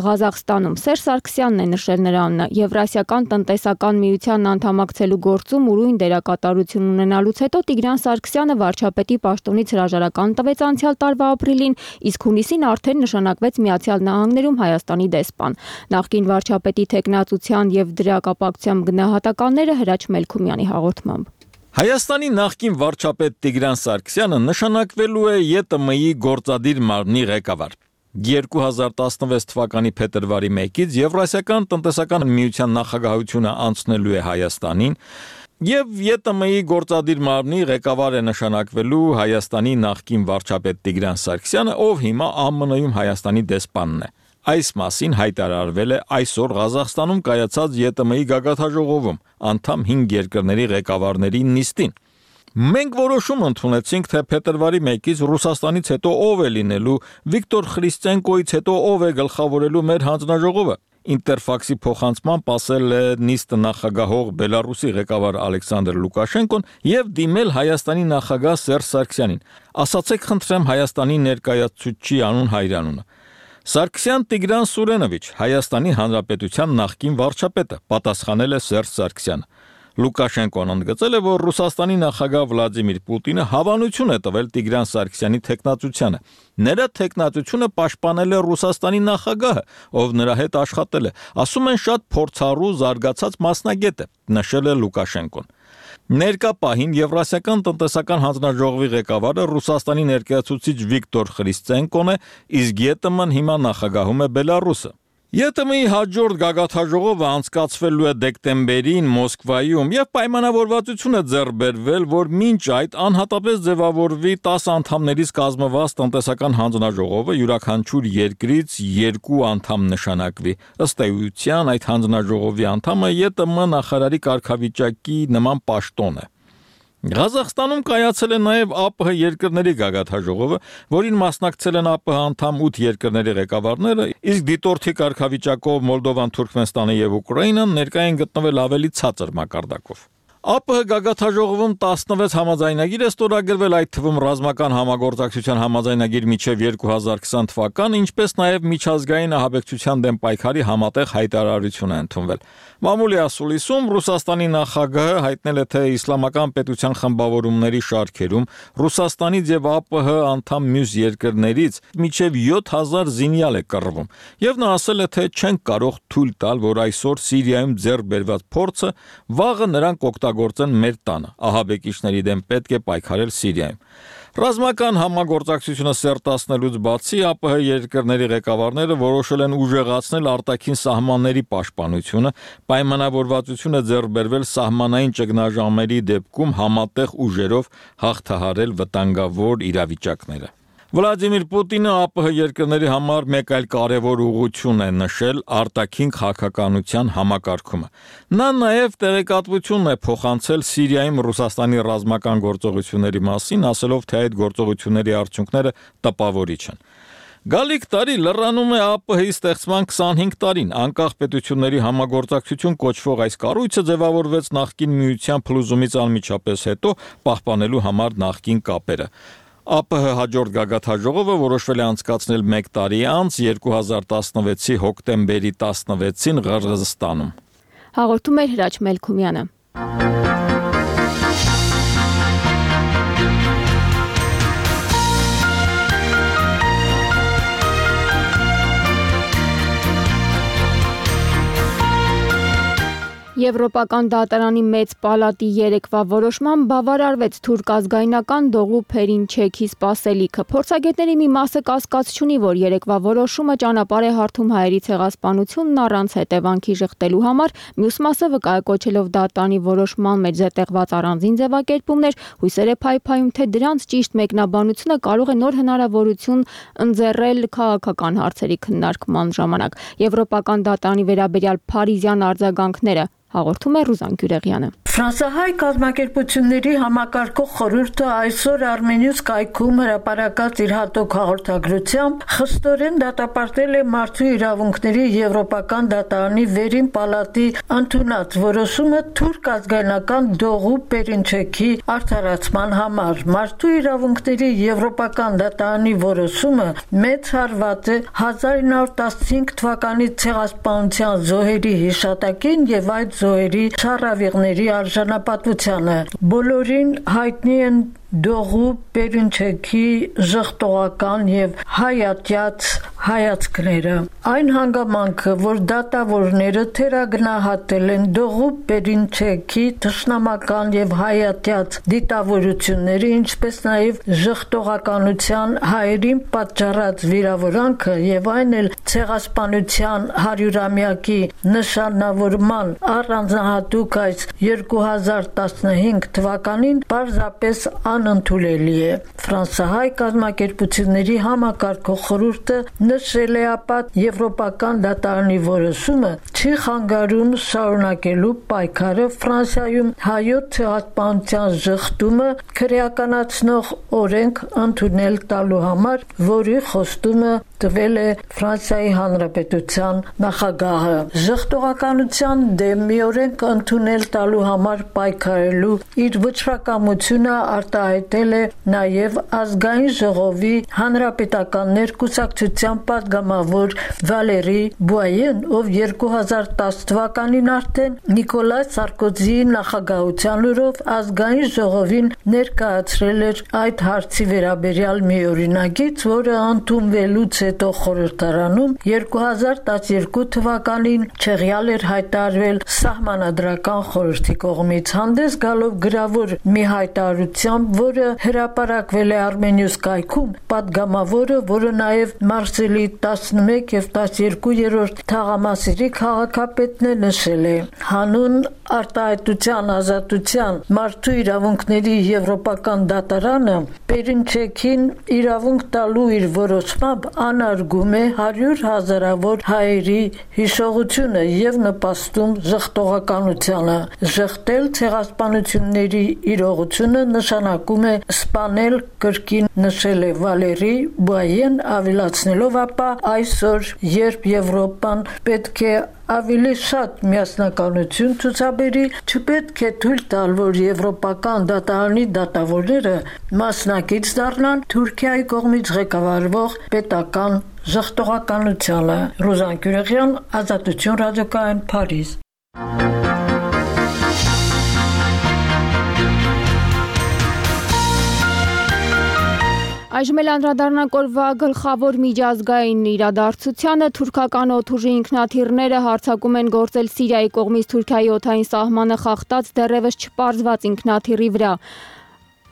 Ղազախստանում։ Սերժ Սարգսյանն է նշել նրան Եվրասիական տնտեսական միությանն անդամակցելու գործում ուրույն դերակատարություն ունենալուց հետո Տիգրան Սարգսյանը վարչապետի պաշտոնից հրաժարական տվեց անցյալ տարվա ապրիլին, իսկ հունիսին արդեն նշանակվեց Միացյալ Նահանգներում Հայաստանի դեսպան։ Նախկին վարչապետի թեկնածության եւ դրա կապակցությամբ գնահատականները Հրաչ Մելքումյանի հաղորդմամբ։ Հայաստանի նախկին վարչապետ Տիգրան Սարգսյանը նշանակվելու է ԵՏՄ-ի գործադիր մարմնի ղեկավար։ երկու հազար տասնվեց թվականի փետրվարի մեկից Եվրասիական տնտեսական միության նախագահությունը անցնելու է Հայաստանին եւ ԵՏՄ-ի գործադիր մարմնի ղեկավար է նշանակվելու Հայաստանի նախկին վարչապետ Տիգրան Սարգսյանը, ով հիմա ԱՄՆ-ում Հայաստանի դեսպանն է։ Այս մասին հայտարարվել է այսօր Ղազախստանում կայացած ԵՏՄ-ի գագաթնաժողովում անդամ հինգ երկրների ղեկավարների նիստին։ Մենք որոշում ընդունեցինք, թե փետրվարի մեկից Ռուսաստանից հետո ով է լինելու, Վիկտոր Խրիստենկոից հետո ով է գլխավորելու մեր հանձնաժողովը։ Ինտերֆաքսի փոխանցմամբ ասել է նիստը նախագահող Բելարուսի ղեկավար Ալեքսանդր Լուկաշենկոն եւ դիմել Հայաստանի նախագահ Սերժ Սարգսյանին։ Ասացեք խնդրեմ Հայաստանի ներկայացուցչի անուն հայրանունը։ Սարգսյան Տիգրան Սուրենովիչ, Հայաստանի Հանրապետության նախկին վարչապետը, պատասխանել է Սերժ Սարգսյանը։ Լուկաշենկոն ընդգծել է, որ Ռուսաստանի նախագահ Վլադիմիր Պուտինը հավանություն է տվել Տիգրան Սարգսյանի թեկնածությանը։ Նրա թեկնածությունը պաշտպանել է Ռուսաստանի նախագահը, ով նրա հետ աշխատել է։ Ասում են շատ փորձառու զարգացած մասնագետ է, նշել է Լուկաշենկոն։ Ներկա պահին Եվրասիական տնտեսական հանձնաժողովի ղեկավարը Ռուսաստանի ներկայացուցիչ Վիկտոր Խրիստենկոն է, իսկ ԵՏՄ-ն հիմա նախագահում է Բելարուսը։ Ե Տ Մ-ի հաջորդ գագաթաժողովը անցկացվելու է դեկտեմբերին Մոսկվայում եւ պայմանավորվածություն է ձեռք բերվել, որ մինչ այդ անհատապես ձևավորվի տասը անդամներից կազմված տնտեսական հանձնաժողովը յուրաքանչյուր երկրից երկու անդամ նշանակվի։ Ըստ էության այդ հանձնաժողովի անդամը Ե Տ Մ նախարարի կարգավիճակի նման պաշտոն է։ Ղազախստանում կայացել է նաև Ա Պ Հ երկրների գագաթաժողովը, որին մասնակցել են Ա Պ Հ անդամ ութ երկրների ղեկավարները, իսկ դիտորդի կարգավիճակով Մոլդովան, Թուրքմենստանը եւ Ուկրաինան ներկայ են գտնվել ավելի ցածր մակարդակով։ Ա Պ Հ գագաթաժողովում տասնվեց համաձայնագիր է ստորագրվել, այդ թվում ռազմական համագործակցության համաձայնագիր մինչև երկու հազար քսան թվական, ինչպես նաև միջազգային ահաբեկչության դեմ պայքարի համատեղ հայտարարություն է ընդունվել։ Մամուլի ասուլիսում Ռուսաստանի նախագահը հայտնել է, թե իսլամական պետության խմբավորումների շարքերում Ռուսաստանից եւ Ա Պ Հ անդամ մյուս երկրներից մինչև յոթ հազար զինյալ է կռվում, եւ նա ասել է, թե չեն կարող թույլ տալ, որ այսօր Սիրիայում ձեռք բերված փորձը վաղը նրանք օգտագործեն մեր տանը, ահաբեկիչների դեմ պետք է պայքարել Սիրիայում։ Ռազմական համագործակցությունը սերտացնելուց բացի Ա Պ Հ երկրների ղեկավարները որոշել են ուժեղացնել արտաքին սահմանների պաշտպանությունը, պայմանավորվածություն է ձեռք բերվել սահմանային ճգնաժամերի դեպքում համատեղ ուժերով հաղթահարել վտանգավոր իրավիճակները։ Վլադիմիր Պուտինը Ա Պ Հ երկրների համար մեկ այլ կարևոր ուղղություն է նշել արտաքին քաղաքականության համակարգումը։ Նա նաև տեղեկատվություն է փոխանցել Սիրիայում Ռուսաստանի ռազմական գործողությունների մասին, ասելով, թե այդ գործողությունների արդյունքները տպավորիչ են։ Գալիք տարի լրանում է Ա Պ Հ-ի ստեղծման քսանհինգ տարին, անկախ պետությունների համագործակցություն կոչվող այս կառույցը ձևավորվեց նախկին միության փլուզումից անմիջապես հետո, պահպանելու համար նախկին կապերը։ Ա Պ Հ հաջորդ գագաթաժողովը որոշվել է անցկացնել մեկ տարի անց երկու հազար տասնվեցի հոկտեմբերի տասնվեցին Ղրղզստանում։ Հաղորդում էր Հրաչ Մելքումյանը։ Եվրոպական դատարանի մեծ պալատի երեկվա որոշմամբ բավարարվեց թուրք ազգայնական Դողու Փերինչեքի սպասելիքը։ Փորձագետների մի մասը կասկած չունի, որ երեկվա որոշումը ճանապարհ է հարթում հայերի ցեղասպանությունն առանց հետևանքի ժխտելու համար, մյուս մասը վկայակոչելով դատարանի որոշման մեջ զետեղված առանձին ձևակերպումներ, հույսեր է փայփայում, թե դրանց ճիշտ մեկնաբանությունը կարող է նոր հնարավորություն ընձեռել քաղաքական հարցերի քննարկման ժամանակ։ Եվրոպական դատարանի վերաբերյալ փարիզյան արձագանքները հաղորդում է Ռուզան Գյուրեղյանը։ Ֆրանսահայ կազմակերպությունների համակարգող խորհուրդը այսօր Armenius կայքում հրապարակած իր հատուկ հաղորդագրությամբ խստորեն դատապարտել է Մարդու իրավունքների Եվրոպական դատարանի վերին պալատի ընդունած որոշումը թուրք ազգայնական Դողու Փերինչեքի արդարացման համար։ Մարդու իրավունքների Եվրոպական դատարանի որոշումը մեծ հարված է հազար ինը հարյուր տասնհինգ թվականի ցեղասպանության զոհերի հիշատակին եւ այդ զոհերի շարավիղների արժանապատվությանը։ Բոլորին հայտնի են Դողու Փերինչեքի ժխտողական եւ հայատյաց հայացքները։ Այն հանգամանքը, որ դատավորները թերագնահատել են Դողու Փերինչեքի թշնամական եւ հայատյաց դիտավորությունները, ինչպես նաեւ ժխտողականության հայերին պատճառած վիրավորանքը եւ այն էլ ցեղասպանության հարյուրամյակի նշանավորման առանձնահատուկ այս երկու հազար տասնհինգ թվականին պարզապես անընդունելի է։ Ֆրանսահայ կազմակերպությունների համակարգող խորհուրդը նշել է ապա Եվրոպական դատարանի որոշումը չի խանգարում շարունակելու պայքարը Ֆրանսիայում հայոց ցեղասպանության ժխտումը քրեականացնող օրենք ընդունել տալու համար, որի խոստումը տվել է Ֆրանսիայի Հանրապետության նախագահը։ Ժխտողականության դեմ մի օրենք ընդունել տալու համար պայքարելու իր վճռակամությունը արտահայտել է նաև ազգային ժողովի հանրապետական ներկուսակցության պատգամավոր Վալերի Բուայեն, ով երկու հազար տասը թվականին արդեն Նիկոլայ Սարկոզիի նախագահության օրով ազգային ժողովին ներկայացրել էր այդ հարցի վերաբերյալ մի օրինագիծ, որը ընդունվելուց հետո խորհրդարանում երկու հազար տասներկու թվականին չեղյալ էր հայտարարվել Սահմանադրական խորհրդի կողմից, հանդես գալով գրավոր մի հայտարարությամբ, որը հրապարակվել է Armenius կայքում, պատգամավորը, որը նաև Մարսել Բրյուսելի տասնմեկ եւ տասներկուերորդ թաղամասերի քաղաքապետն է նշել է. հանուն արտահայտության ազատության մարդու իրավունքների եվրոպական դատարանը Պերինչեքին իրավունք տալու իր որոշմամբ անարգում է հարյուր հազարավոր հայերի հիշողությունը եւ նպաստում ժխտողականությանը։ Ժխտել ցեղասպանությունների իրողությունը նշանակում է սպանել կրկին, նշել է Վալերի Բուայեն, ավելացնելով ապա այսօր, երբ Եվրոպան պետք է ավելի շատ միասնականություն ցուցաբերի, չպետք է թույլ տալ, որ եվրոպական դատարանի դատավորները մասնակից դառնան Թուրքիայի կողմից ղեկավարվող պետական ժխտողականությանը։ Ռուզան Գյուրեղյան, Ազատություն ռադիոկայան, Փարիզ։ Այժմ էլ անդրադառնանք օրվա գլխավոր միջազգային իրադարձությանը։ Թուրքական օդուժի ինքնաթիռները հարձակում են գործել Սիրիայի կողմից Թուրքիայի օդային սահմանը խախտած դեռևս չպարզված ինքնաթիռի վրա։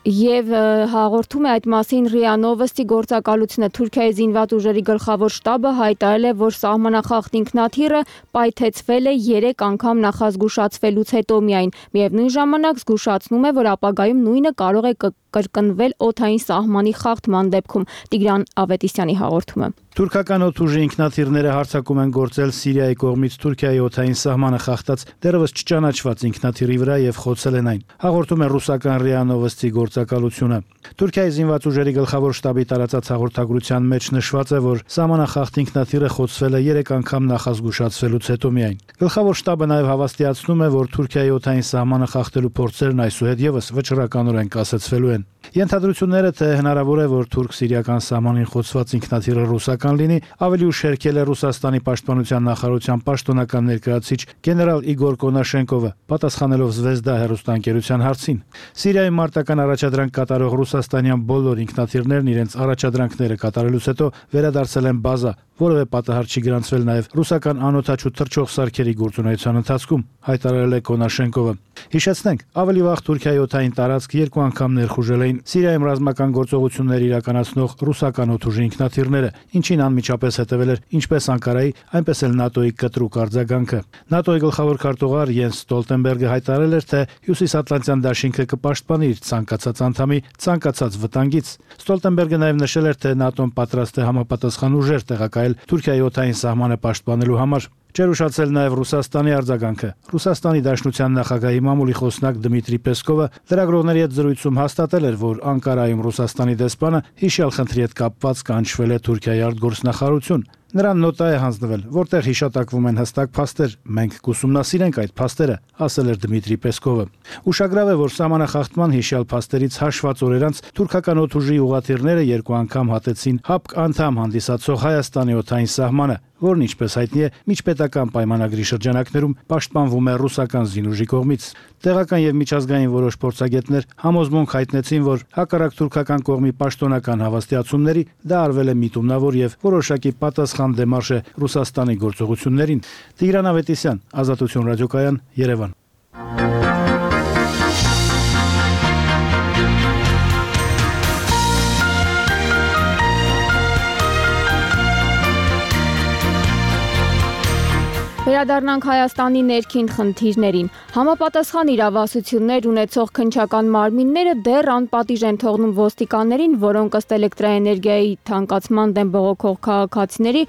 Եվ հաղորդում է այդ մասին ՌԻԱ Նովոստի գործակալությունը։ Թուրքիայի զինված ուժերի գլխավոր շտաբը հայտարարել է, որ սահմանախախտ ինքնաթիռը պայթեցվել է երեք անգամ նախազգուշացվելուց հետո միայն։ Միևնույն ժամանակ զգուշացնում է, որ ապագայում նույնը կարող է կրկնվել օդային սահմանի խախտման դեպքում։ Տիգրան Ավետիսյանի հաղորդումը։ Թուրքական օդուժի ինքնաթիռները հարձակում են գործել Սիրիայի կողմից Թուրքիայի օդային սահմանը խախտած դեռևս չճանաչված ինքնաթիռի վրա եւ խոցել են այն։ Հաղորդում է ռուսական ՌԻԱ Նովոստի գործակալությունը։ Թուրքիայի զինված ուժերի գլխավոր շտաբի տարածած հաղորդագրության մեջ նշված է, որ սահմանախախտ ինքնաթիռը խոցվել է երեք անգամ նախազգուշացվելուց հետո միայն։ Գլխավոր շտաբը նաեւ հավաստիացնում է, որ Թուրքիայի օդային սահմանը խախտելու փորձերն այսուհետ եւս վճռականորեն կասեցվելու են։ Ենթադրությունները, թե հնարավոր է, որ թուրք-սիրիական սահմանին խոցված ինքնաթիռը ռուսական լինի, ավելի ուշ հերքել է Ռուսաստանի պաշտպանության նախարարության պաշտոնական ներկայացուցիչ գեներալ Իգոր Կոնաշենկովը, պատասխանելով Զվեզդա հեռուստաընկերության հարցին։ Սիրիայում մարտական առաջադրանք կատարող ռուսաստանյան բոլոր ինքնաթիռներն իրենց առաջադրանքները կատարելուց հետո վերադարձել են բազա, որևէ պատահար չի գրանցվել նաև ռուսական անօդաչու թռչող սարքերի գործունեության ընթացքում, հայտարարել է Կոնաշենկովը։ Հիշեցնենք, ավելի վաղ Թուրքիայի օդային տարածք երկու անգամ ներխուժել էին Սիրիայում ռազմական գործողություններ իրականացնող ռուսական օդուժի ինքնաթիռները, ինչին անմիջապես հետևել էր ինչպես Անկարայի, այնպես էլ ՆԱՏՕ-ի կտրուկ արձագանքը։ ՆԱՏՕ-ի գլխավոր քարտուղար Յենս Ստոլտենբերգը հայտարարել էր, թե Հյուսիսատլանտյան դաշինքը կպաշտպանի իր ցանկացած անդամի ցանկացած վտանգից։ Ստոլտենբերգը նաև նշել էր, թե ՆԱՏՕ-ն պատրաստ է համապատասխան ուժեր տեղակայել Թուրքիայի օդային սահմանը պաշտպանելու համար։ Չէր ուշացել նաև Ռուսաստանի արձագանքը։ Ռուսաստանի Դաշնության նախագահի մամուլի խոսնակ Դմիտրի Պեսկովը լրագրողների հետ զրույցում հաստատել էր, որ Անկարայում Ռուսաստանի դեսպանը հիշյալ խնդրի հետ կապված կանչվել է Թուրքիայի արտգործնախարարություն։ Նրան նոտա է հանձնվել, որտեղ հիշատակվում են հստակ փաստեր։ Մենք կուսումնասիրենք այդ փաստերը, ասել էր Դմիտրի Պեսկովը։ Ուշագրավ է, որ սահմանախախտման հիշյալ փաստերից հաշված օր անց թուրքական օդուժի ուղղաթիռները երկու անգամ հատեցին ՀԱՊԿ անդամ հանդիսացող Հայաստանի օդային սահմանը, որն ինչպես հայտնի է, միջպետական պայմանագրի շրջանակներում պաշտպանվում է ռուսական զինուժի կողմից։ Տեղական եւ միջազգային որոշ փորձագետներ համոզմունք հայտնեցին, որ հակառակ թուրքական կողմի պաշտոնական հավաստիացումների դա արվել է միտումնավոր եւ որոշակի պատասխան դեմարշ է Ռուսաստանի գործողություններին։ Տիգրան Ավետիսյան, Ազատություն ռադիոկայան, Երևան։ Վերադառնանք Հայաստանի ներքին խնդիրներին։ Համապատասխան իրավասություններ ունեցող քննչական մարմինները դեռ անպատիժ են թողնում ոստիկաններին, որոնք ըստ էլեկտրաէներգիայի թանկացման դեմ բողոքող քաղաքացիների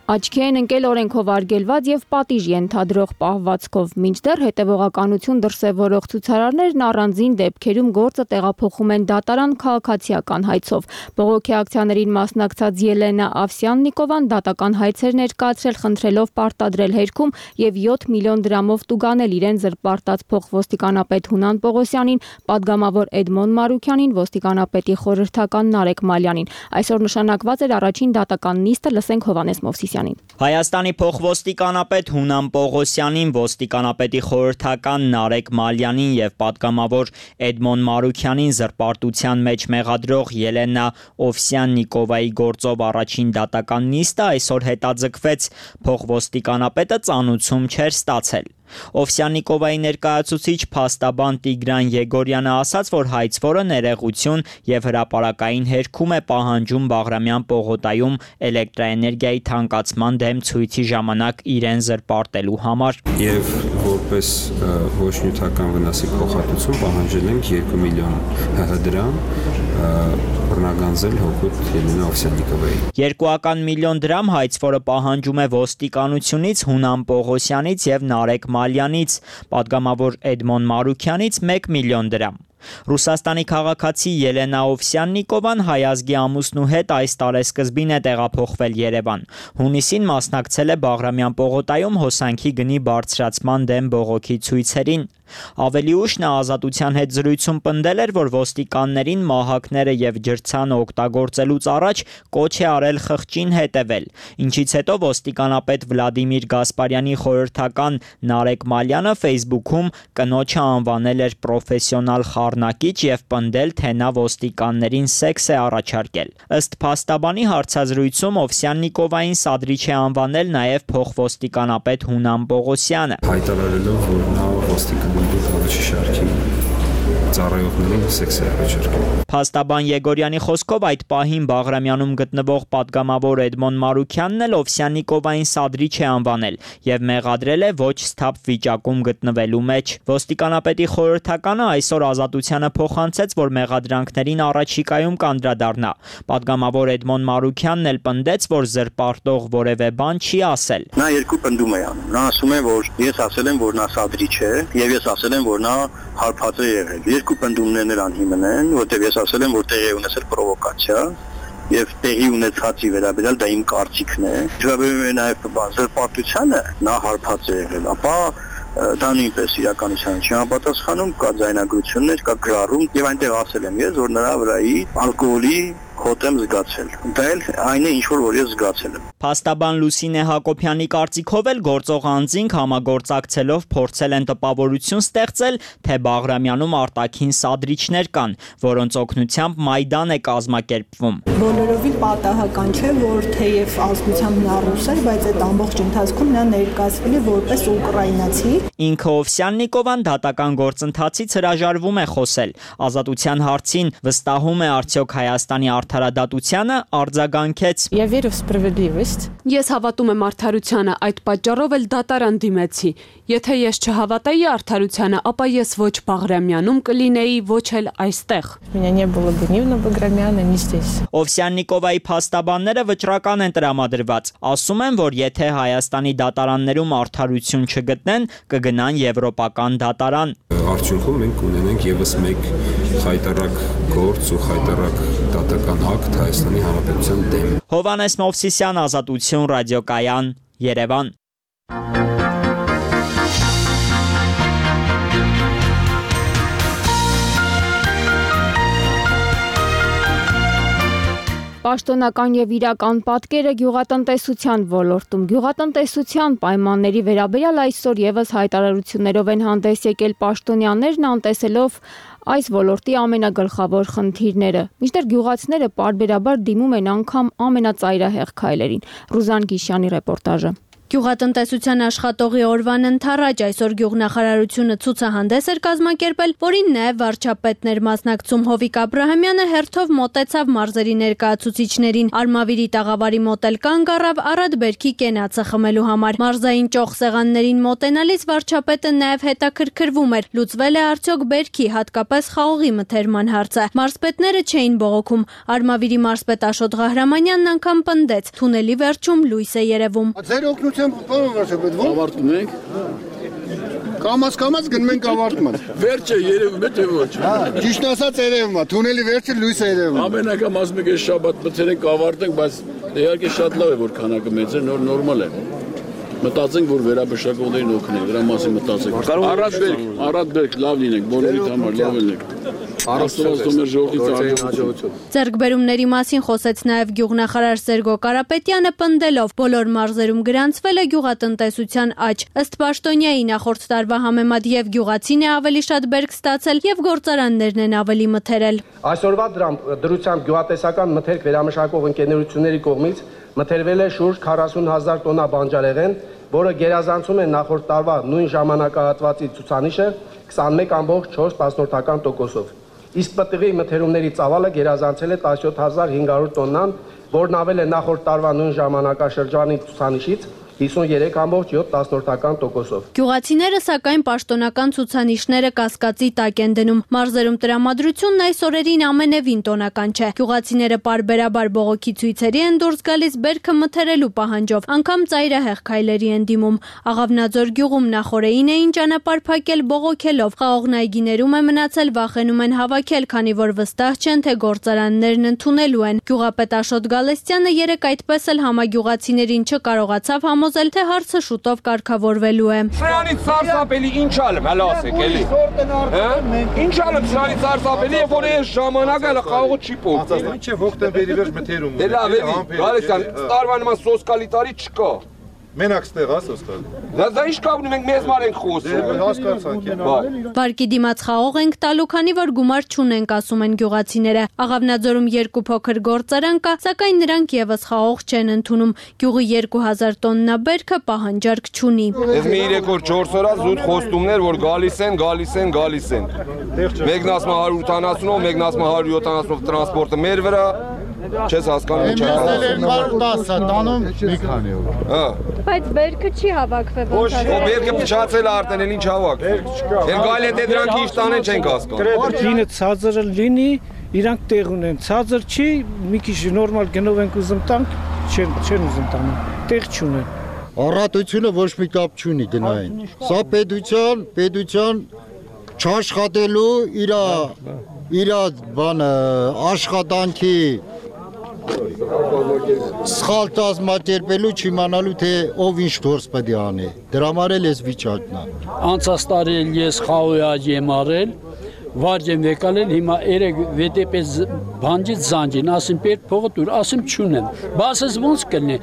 աչքի են ընկել օրենքով արգելված եւ պատիժ ենթադրող պահվածքով, մինչդեռ հետևողականություն դրսևորող ցուցարարներն առանձին դեպքերում գործը տեղափոխում են դատարան քաղաքացիական հայցով։ Բողոքի ակցիաներին մասնակցած Ելենա Ավսյան-Նիկովան դատական հայցեր ներկայացրել, խնդրելով պարտադրել հերքում եւ յոթ միլիոն դրամով տուգանել իրեն զրպարտած փոխոստիկանապետ Հունան Պողոսյանին, падգամավոր Էդմոն Մարուքյանին, ոստիկանապետի խորհրդական Նարեկ Մալյանին։ Այսօր նշանակված էր առաջին դատական նիստը, լսենք Հովանես Մովսիսյանին։ Հայաստանի փոխոստիկանապետ Հունան Պողոսյանին, ոստիկանապետի խորհրդական Նարեկ Մալյանին եւ падգամավոր Էդմոն Մարուքյանին զրպարտության մեջ մեղադրող Ելենա Ավսյան-Նիկովայի գործով առաջին դատական նիստը այսօր հետաձգվեց։ Փոխոստիկանապետը ծանուցում չէր ստացել։ Օվսյաննիկովայի ներկայացուցիչ փաստաբան Տիգրան Եգորյանը ասաց, որ հայցվորը ներեգություն եւ հրապարակային հերքում է պահանջում Բաղրամյան պողոտայում էլեկտրաէներգիայի թանկացման դեմ ցույցի ժամանակ իրեն զրպարտելու համար։ Եվ որպես ոչ նյութական վնասի փոխհատուցում պահանջել ենք երկու միլիոն դրամ բռնագանձել հօգուտ Ելենա Օվսյաննիկովայի։ Երկուական միլիոն դրամ հայցվորը պահանջում է ոստիկանությունից, Հունան Պողոսյանից եւ Նարեկ Մալյանից, պատգամավոր Էդմոն Մարուքյանից մեկ միլիոն դրամ։ Ռուսաստանի քաղաքացի Ելենա Օվսյաննիկովան հայազգի ամուսնու հետ այս տարեսկզբին է տեղափոխվել Երևան։ Հունիսին մասնակցել է Բաղրամյան պողոտայում հոսանքի գնի բարձրացման դեմ բողոքի ցույցերին։ Ավելի ուշ նա Ազատության հետ զրույցում պնդել էր, որ ոստիկաններին մահակները եւ ջրցանը օգտագործելուց առաջ կոչ է արել խղճին հետևել, ինչից հետո ոստիկանապետ Վլադիմիր Գասպարյանի խորհրդական Նարեկ Մալյանը Facebook-ում կնոջը անվանել էր պրոֆեսիոնալ խառնակիչ եւ պնդել, թե նա ոստիկաններին սեքս է առաջարկել։ Ըստ փաստաբանի հարցազրույցում Օվսյաննիկովային սադրիչ է անվանել նաեւ փոխոստիկանապետ Հունան Պողոսյանը։ Հայտարարելով, որ նա ոստիկան ծառայողներին սեքս է առաջարկել։ Փաստաբան Եգորյանի խոսքով այդ պահին Բաղրամյանում գտնվող պատգամավոր Էդմոն Մարուքյանն էլ Օվսյաննիկովային սադրիչ է անվանել եւ մեղադրել է ոչ սթափ վիճակում գտնվելու մեջ։ Ոստիկանապետի խորհրդականը այսօր Ազատությանը փոխանցեց, որ մեղադրանքներին առաջիկայում կանդրադառնա։ Պատգամավոր Էդմոն Մարուքյանն էլ պնդեց, որ զրպարտող որևէ բան չի ասել։ Նա երկու պնդում է անում։ Նա ասում է, որ ես ասել եմ, որ նա սադրիչ է, եւ ես ասել եմ, որ նա հարբած է եղել։ Երկու պնդումներն նրան հիմն են, որտեղ ես ասել եմ, որ տեղի ունեցել պրովոկացիա եւ տեղի ունեցածի վերաբերյալ դա իմ կարծիքն է։ Վերաբերում է նաեւ զրպարտությանը, նա հարբած է եղել, ապա դա նույնպես իրականության չի համապատասխանում, կա ձայնագրություններ, կա գրառում եւ այնտեղ ասել եմ ես, որ նրա վրայի ալկոհոլի հոտ եմ զգացել։ Դա էլ այն է, ինչ որ ես զգացել եմ։ Փաստաբան Լուսինե Հակոբյանի կարծիքով էլ գործող անձինք համագործակցելով փորձել են տպավորություն ստեղծել, թե Բաղրամյանում արտաքին սադրիչներ կան, որոնց օգնությամբ Մայդան է կազմակերպվում։ Բոլորովին պատահական չէ, որ թեև ազգությամբ նա ռուս է, բայց այդ ամբողջ ընթացքում նա ներկայացվել է որպես ուկրաինացի։ Ինքը Օվսյաննիկովան դատական գործընթացից հրաժարվում է խոսել։ Ազատության հարցին վստահում է արդյոք Հայաստանի արդարադատությանը, արձագանքեց. Ես հավատում եմ արդարությանը, այդ պատճառով էլ դատարան դիմեցի։ Եթե ես չհավատայի արդարությանը, ապա ես ոչ Բաղրամյանում կլինեի, ոչ էլ այստեղ։ Օվսյաննիկովայի փաստաբանները վճռական են տրամադրված։ Ասում են, որ եթե Հայաստանի դատարաններում արդարություն չգտնեն, կգնան եվրոպական դատարան։ Արդյունքում մենք ունենենք եւս մեկ խայտարակ գործ ու խայտարակ դատական ակտ Հայաստանի Հանրապետության դեմ։ Հովանես Մովսիսյան, Ազատություն, ռադիոկայան, Երևան։ Պաշտոնական եւ իրական պատկերը գյուղատնտեսության ոլորտում։ Գյուղատնտեսության պայմանների վերաբերյալ այսօր եւս հայտարարություններով են հանդես եկել պաշտոնյաներն, անտեսելով այս ոլորտի ամենագլխավոր խնդիրները։ Մինչդեռ գյուղացիները պարբերաբար դիմում են անգամ ամենածայրահեղ քայլերին։ Ռուզան Գիշյանի ռեպորտաժը։ Գյուղատնտեսության աշխատողի օրվան ընթառաջ այսօր գյուղնախարարությունը ցուցահանդես էր կազմակերպել, որին նաև վարչապետներ մասնակցում Հովիկ Աբրահամյանը հերթով մոտեցավ մարզերի ներկայացուցիչներին։ Արմավիրի տաղավարի մոտ էլ կանգ առավ առատ բերքի կենացը խմելու համար։ Մարզային ճոխ սեղաններին մոտենալիս վարչապետը նաև հետաքրքրվում էր՝ լուծվել է արդյոք բերքի, հատկապես խաղողի մթերման հարցը։ Մարզպետները չէին բողոքում։ Արմավիրի մարզպետ Աշոտ Ղահրամանյանն անգամ պնդեց՝ թունելի վերջում լույս է երևում։ Ավարտում ենք։ Կամաց կամաց գնում ենք ավարտման։ Վերջը երևում է թե ոչ։ Ճիշտ ասած երևում է, թունելի վերջը լույս է երևում։ Ամեն անգամ ասում եք այս շաբաթ մտցրենք ավարտենք, բայց իհարկե շատ լավ է որ քանակը մեծ է, նոր նորմալ է։ Մտածենք որ վերաբշակողներին օգնենք, դրա մասին մտածենք։ Առատ բերք, առատ բերք, լավ լինենք, բոլորիդ համար լավ լինենք։ Ձեռքբերումների մասին խոսեց նաև գյուղնախարար Սերգո Կարապետյանը, պնդելով բոլոր մարզերում գրանցվել է գյուղատնտեսության աճ։ Ըստ պաշտոնյայի նախորդ տարվա համեմատ եւ գյուղացին է ավելի շատ բերք ստացել եւ գործարաններն են ավելի մթերել։ Այսօրվա դրությամբ գյուղատնտեսական մթերք վերամշակող ընկերությունների կողմից մթերվել է շուրջ քառասուն հազար տոննա բանջարեղեն, որը գերազանցում է նախորդ տարվա նույն ժամանակահատվածի ցուցանիշը քսանմեկ ամբողջ չորս տոկոսով։ Իսկ պտղի մթերումների ծավալը գերազանցել է տասնյոթ հազար հինգ հարյուր տոննան, որն ավել է նախորդ տարվա նույն ժամանակաշրջանի ցուցանիշից հիսուններեք ամբողջ յոթ տոկոսով։ Գյուղացիները սակայն պաշտոնական ցուցանիշները կասկածի տակ են դնում։ Մարզերում տրամադրությունն այս օրերին ամենևին տոնական չէ։ Գյուղացիները պարբերաբար բողոքի ցույցերի են դուրս գալիս բերքը մթերելու պահանջով, անգամ ծայրահեղ քայլերի են դիմում։ Աղավնաձոր գյուղում նախորդին էին ճանապարհ փակել բողոքելով։ Խաղողն այգիներում է մնացել, վախենում են հավաքել, քանի որ վստահ չեն, թե գործարաններն ընդունելու են։ Գյուղապետ Աշոտ Գալստյանը երեկ այդպես էլ համագյուղացիներին չկարողացավ համոզել, թե հարցը շուտով կարգավորվելու է։ Սրանից սարսափելի ինչ ալեմ, հələ ասեք, էլի։ Ինչ ալեմ սրանից սարսափելի է, որ այս ժամանակը հələ խաղողը չի փոխվել։ Ինչ է հոկտեմբերի վերջ մթերում։ Դե լավ էլի, Գալստյան, տարվա նման սոսկալի տարի չկա։ Մենակ ստեղ հա սոսկալի։ Դա ինչ կա ունի, մենք մեզ մար ենք խոսում։ Հասկացանք։ Վարկի դիմաց խաղող ենք տալու, քանի որ գումար չունենք, ասում են գյուղացիները։ Աղավնաձորում երկու փոքր գործարան կա, սակայն նրանք եւս խաղող չեն ընդունում։ Գյուղի երկու հազար տոննա բերքը պահանջարկ չունի։ Ես մի երեք օր չորս օր զուտ խոստումներ, որ գալիս են, գալիս են, գալիս են։ Մեկն ասում է հարյուր ութանասունով, մեկն ասում է հարյուր յոթանասունով տրանսպորտը մեր վրա։ Չես հասկանում ինչ է։ հարյուր տասը տանում մի քանի օր։ Հա։ Բայց բերքը չի հավաքվել ոնց է։ Ո բերքը փչացել է արդեն, էլ ինչ հավաք։ Էլ գալի է դե դրանք ինչ տանեն չենք հասկանում։ Լինը ցածրը լինի, իրանք տեղ ունեն։ Ցածր չի, մի քիչ նորմալ գնով ենք ուզում տանք, չեն չեն ուզում տանեն։ Տեղ չունեն։ Առատությունը ոչ մի կապ չունի գնային։ Սա պետության, պետության չաշխատելու իր իր բանը աշխատանքի սխալ կազմակերպելու չիմանալու թե ով ինչ գործ պետք է անի։ Դրա համար էլ էս վիճակն է։ Անցած տարի ես խաղոյ եմ արել, վարջ եմ եկալել, հիմա երեք վետեպես բանջից զանջին, ասում պետք փողը դուր, ասում չունեմ։ Բասս ոնց կլինի։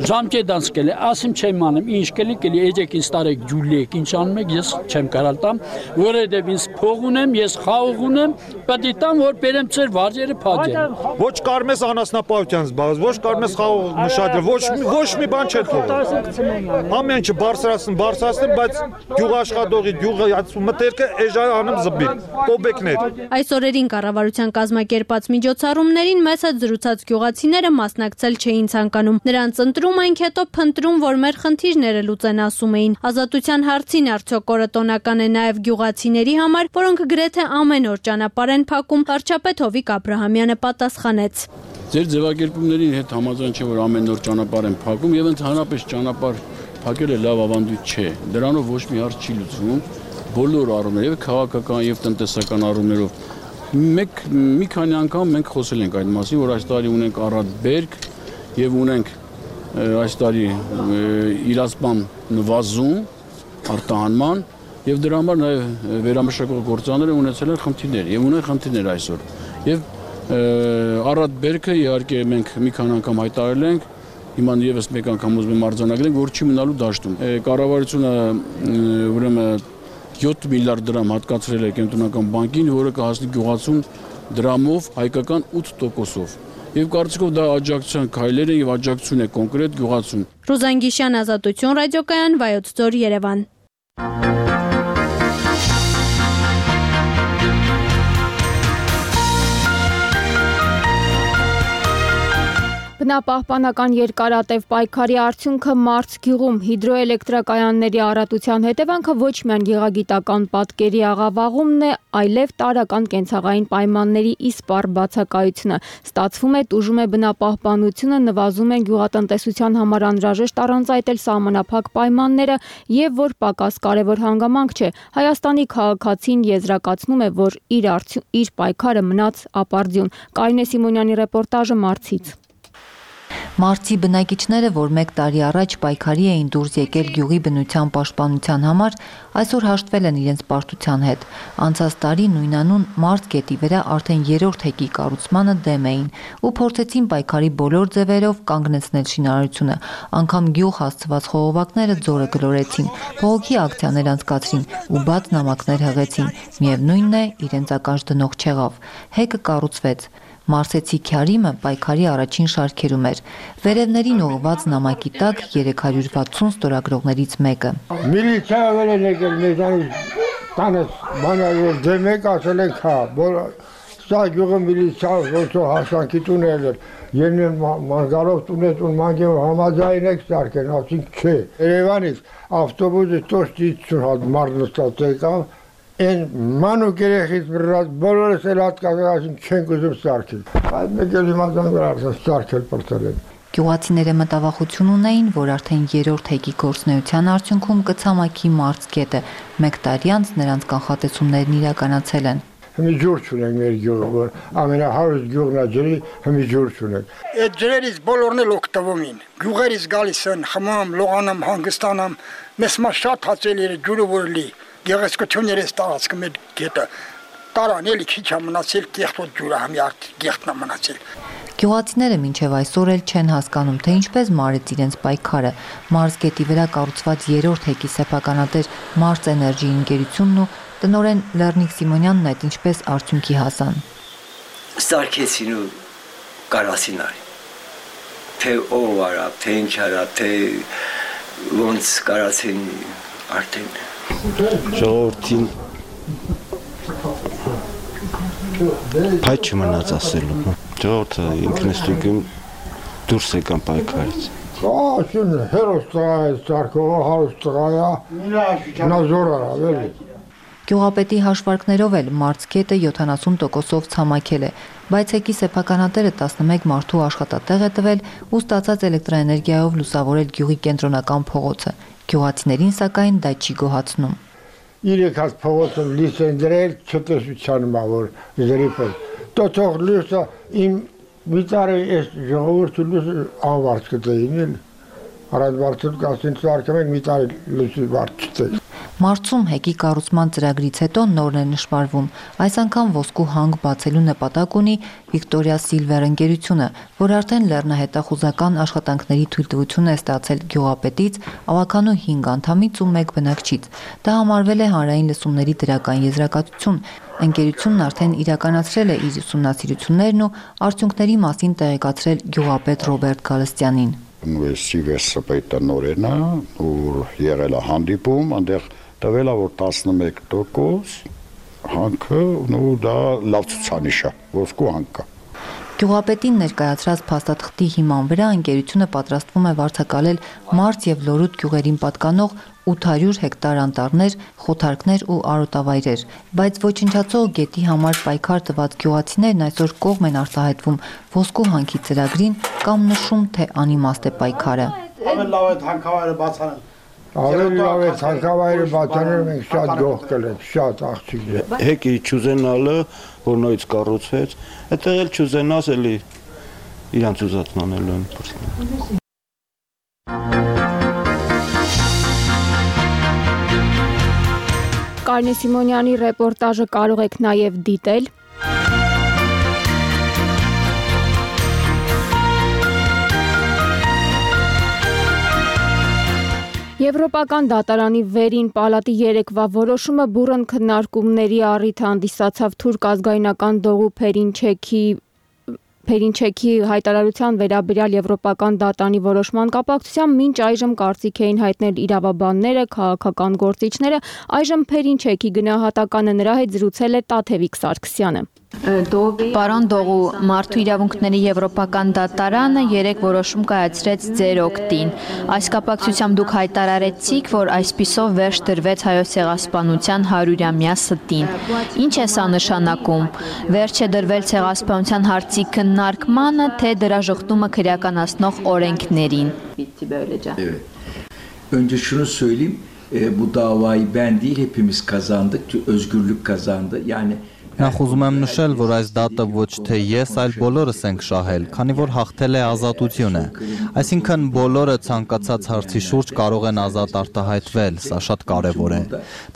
Ժամկետանց կլի, ասում չեմ անում, ինչ կլի, կլի էջեք ինձ տարեք ջուլեք, ինչ անում եք, ես չեմ կարալ տամ, որովհետև ինձ փող ունեմ, ես խաղող ունեմ, պետք է տամ, որ բերեմ ծեր վարժերը փաջեն։ Ոչ կարմես անասնապահության զբաղված, ոչ կարմես խաղող մշակել, ոչ ոչ մի բան չէ թողել։ Ամեն ինչը բարձրացնում, բարձրացնում, բայց գյուղաշխատողի գյուղի մտերքը էժա անում զբիլ, կոբեկներ։ Այս օրերին կառավարության կազմակերպած միջոցառումներին մեծ հետ զրուցած գյուղացիները մասնակցել չէին ցանկանում։ Նրանց ընտրում ենք հետո փնտրում, որ մեր խնդիրները լուծեն, ասում էին։ Ազատության հարցին արդյոք օրը տոնական է նաև գյուղացիների համար, որոնք գրեթե ամեն օր ճանապարհ են փակում, վարչապետ Հովիկ Աբրահամյանը պատասխանեց։ Ձեր ձևակերպումների հետ համաձայն չէ, որ ամեն օր ճանապարհ են փակում եւ ընդհանրապես ճանապարհ փակելը լավ ավանդույթ չէ։ Դրանով ոչ մի հարց չի լուծվում, բոլոր առումներով, եւ քաղաքական եւ տնտեսական առումներով։ Մեկ մի քանի անգամ մենք խոսել ենք այդ մասին, որ այս տարի ունենք առատ բերք եւ ունենք այս տարի իրացման նվազում արտահանման եւ դրա համար նաեւ վերամշակող գործարանները ունեցել են խնդիրներ եւ ունեն խնդիրներ այսօր եւ առատ բերքը իհարկե մենք մի քանի անգամ հայտարարել ենք հիմա եւս մեկ անգամ ուզում եմ արձանագրել որ չի մնալու դաշտում կառավարությունը ուրեմն յոթ միլիարդ դրամ հատկացրել է կենտրոնական բանկին որը կհասնի գյուղացուն դրամով հայկական ութ տոկոսով Եվ կարծիքով դա աջակցության քայլեր են եւ աջակցություն է կոնկրետ գյուղացուն։ Ռուզան Գիշյան, Ազատություն ռադիոկայան, Վայոց ձոր, Երևան։ Բնապահպանական երկարատև պայքարի արդյունքը Մարց գյուղում հիդրոէլեկտրակայանների առատության հետևանքը ոչ միայն գեղագիտական պատկերի աղավաղումն է, այլև տարրական կենցաղային պայմանների իսպառ բացակայությունը։ Ստացվում է տուժում է բնապահպանությունը, նվազում են գյուղատնտեսության համար անհրաժեշտ առանցայտել սահմանափակ պայմանները եւ որ պակաս կարեւոր հանգամանք չէ։ Հայաստանի քաղաքացին եզրակացնում է, որ իր արդյուն, իր պայքարը մնաց ապարդյուն։ Կարինե Սիմոնյանի ռեպորտաժը Մարցից։ Մարցի բնակիչները, որ մեկ տարի առաջ պայքարի էին դուրս եկել գյուղի բնության պաշտպանության համար, այսօր հաշտվել են իրենց պարտության հետ։ Անցած տարի նույնանուն Մարց գետի վրա արդեն երրորդ հեկի կառուցմանը դեմ էին ու փորձեցին պայքարի բոլոր ձևերով կանգնեցնել շինարարությունը։ Անգամ գյուղ հասցված խողովակները ձորը գլորեցին, բողոքի ակցիաներ անցկացրին ու բաց նամակներ հղեցին։ Միևնույնն է, իրենց ականջ դնող չեղավ։ Հեկը կառուցվեց։ Մարսեցի Քարիմը պայքարի առաջին շարքերում էր։ Վերևներին ուղղված նամակի տակ երեք հարյուր վաթսուն ստորագրողներից մեկը։ Միլիցիայով են եկել մեզանից տանես բանալու դեմ եք ասել եք հա, սա գյուղը միլիցիայով ոնցով հասանքի տունել էր, ելնեն մանգարով տունեց ու մանգև համաձայն եք սարքեն, ասինք չէ։ Երևանից ավտոբուսը տոշտից հատ մարնստած եկավ, են մանուկ երեխից բրած բոլորս էլ հատկացել ասինք չենք ուզում սարքել, այդ մեկ էլ հիմազան վրա արդեն սարքել պրծել են։ Գյուղացիները մտավախություն ունեին, որ արդեն երրորդ հեգի գործնեության արդյունքում կցամաքի մարզկետը, մեկ տարի անց նրանց կանխատեսումներն իրականացել են։ Հիմի ջուր չունենք մեր գյուղը, որ ամենահարուստ գյուղն է ջրի, հիմի ջուր չունենք։ Այդ ջրերից բոլորն էլ օգտվում են։ Գյուղերից գալիս են, խմամ, լողանամ, հանգստանամ, մեզ մա շատ հացել էր ջուրը որ լի։ Գեղեցկություններ է տարածքը մեր գետը։ Տարան էլի քիչ է մնացել, կեղտոտ ջուրը համի արդ գեղտնա մնացել։ Գյուղացիները մինչև այսօր էլ չեն հասկանում, թե ինչպես մարեց իրենց պայքարը։ Մարզգետի վրա կառուցված երրորդ հեգի սեփականատեր Մարս էներգի ընկերությունն ու տնօրեն Լեռնիկ Սիմոնյանն այդ ինչպես արդյունքի հասան։ Սարքեցին ու կարասին արի։ Թե ով արա, թե ինչ արա, թե ոնց կարասին արդեն։ Ժողովրդին փայ չմնաց ասելու։ Ժողովուրդը ինքնստիկում դուրս եկան պայքարից։ Ասում հերոստայ սարքողը հարուստղայա նազոր արավ էլի։ Գյուղապետի հաշվարկներով էլ մարզկետը յոթանասուն տոկոսով ցամաքել է, բայց հեկի սեփականատերը տասնմեկ մարդու աշխատատեղ է տվել ու ստացած էլեկտրաէներգիայով լուսավորել գյուղի կենտրոնական փողոցը։ Գյուղացիներին սակայն դա չի գոհացնում։ Իրեք հատ փողոցը լույս են դրել չտեսության մա որ զրիփը։ Տոթող լույսը իմ վիճարը էս ժողովուրդը լույսը անվարձ կտեին էլ։ Արած վարձը կասին սարքում են վիճարը լույսի վարձ չտե։ Մարցում հեկի կառուցման ծրագրից հետո նորն է նշмарվում։ Այս անգամ ոսկու հանգ բացելու նպատակ ունի Վիկտորիա Սիլվեր ընկերությունը, որ արդեն լեռնահետախուզական աշխատանքների թույլտվություն է ստացել գյուղապետից, ավականու հինգ անդամից ու մեկ բնակչից։ Դա համարվել է հանրային լսումների դրական եզրակացություն։ Ընկերությունն արդեն իրականացրել է իր ուսումնասիրություններն ու արդյունքների մասին տեղեկացրել գյուղապետ Ռոբերտ Գալստյանին։ Սիվեսը պետանորենը ու եղել է հանդիպում, այնտեղ տվել է որ տասնմեկ տոկոս հանքը ու դա լավ ցուցանիշ է, ոսկու հանք է։ Գյուղապետին ներկայացրած փաստաթղթի հիման վրա ընկերությունը պատրաստվում է վարձակալել Մարց եւ Լորուտ գյուղերին պատկանող ութ հարյուր հեկտար անտառներ, խոթարքներ ու արոտավայրեր, բայց ոչնչացող գետի համար պայքար տված գյուղացիներն այսօր կողմ են արտահայտվում ոսկու հանքի ծրագրին կամ նշում, թե անիմաստ է պայքարը։ Ավելի լավ է հանքավայրը բացանել։ Ավելի լավ է հանքավայրը բացանել, մենք շատ գող կլենք, շատ աղջիկներ։ Հեկի չուզենալը, որ նույնից կառուցվեց, այդտեղ էլ չուզենաս էլի իրանց ուզածն անելու են փորձում։ Կարինե Սիմոնյանի ռեպորտաժը կարող եք նաև դիտել Եվրոպական դատարանի վերին պալատի երեկվա որոշումը բուռն քննարկումների առիթ հանդիսացավ թուրք ազգայնական դողու Փերինչեքի Փերինչեքի հայտարարության վերաբերյալ Եվրոպական դատարանի որոշման կապակցությամբ մինչ այժմ կարծիք էին հայտնել իրավաբանները, քաղաքական գործիչները, այժմ Փերինչեքի գնահատականը նրա հետ զրուցել է Տաթևիկ Սարգսյանը։ Պարոն Դողու, մարդու իրավունքների Եվրոպական դատարանը երեք որոշում կայացրեց ձեր օգտին։ Այս կապակցությամբ դուք հայտարարեցիք, որ այսպիսով վերջ դրվեց հայոց ցեղասպանության հարյուրամյա ստին։ Ինչ է սա նշանակում։ Վերջ է դրվել ցեղասպանության հարցի քննարկմանը, թե դրա ժխտումը քրեականացնող օրենքներին։ Önce şunu söyleyeyim, e, bu davayı ben değil hepimiz kazandık, özgürlük kazandı. Yani Նախ ուզում եմ նշել, որ այս դատը ոչ թե ես, այլ բոլորս ենք շահել, քանի որ հաղթել է ազատությունը։ Այսինքն բոլորը ցանկացած հարցի շուրջ կարող են ազատ արտահայտվել, սա շատ կարևոր է։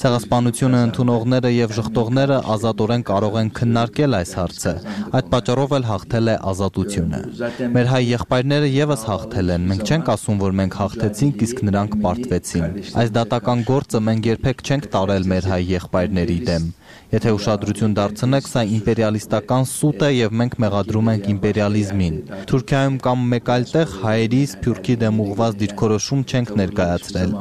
Ցեղասպանությունը ընդունողները եւ ժխտողները ազատորեն կարող են քննարկել այս հարցը։ Այդ պատճառով էլ հաղթել է ազատությունը։ Մեր հայ եղբայրները եւս հաղթել են։ Մենք չենք ասում, որ մենք հաղթեցինք, իսկ նրանք պարտվեցին։ Այս դատական գործը մենք երբեք չենք տարել մեր հայ եղբայրների դեմ։ Եթե ուշադրություն դարձ դարձնեք, սա իմպերիալիստական սուտ է եւ մենք մեղադրում ենք իմպերիալիզմին։ Թուրքիայում կամ մեկ այլ տեղ հայերի Սփյուռքի դեմ ուղղված դիրքորոշում չենք ներկայացրել։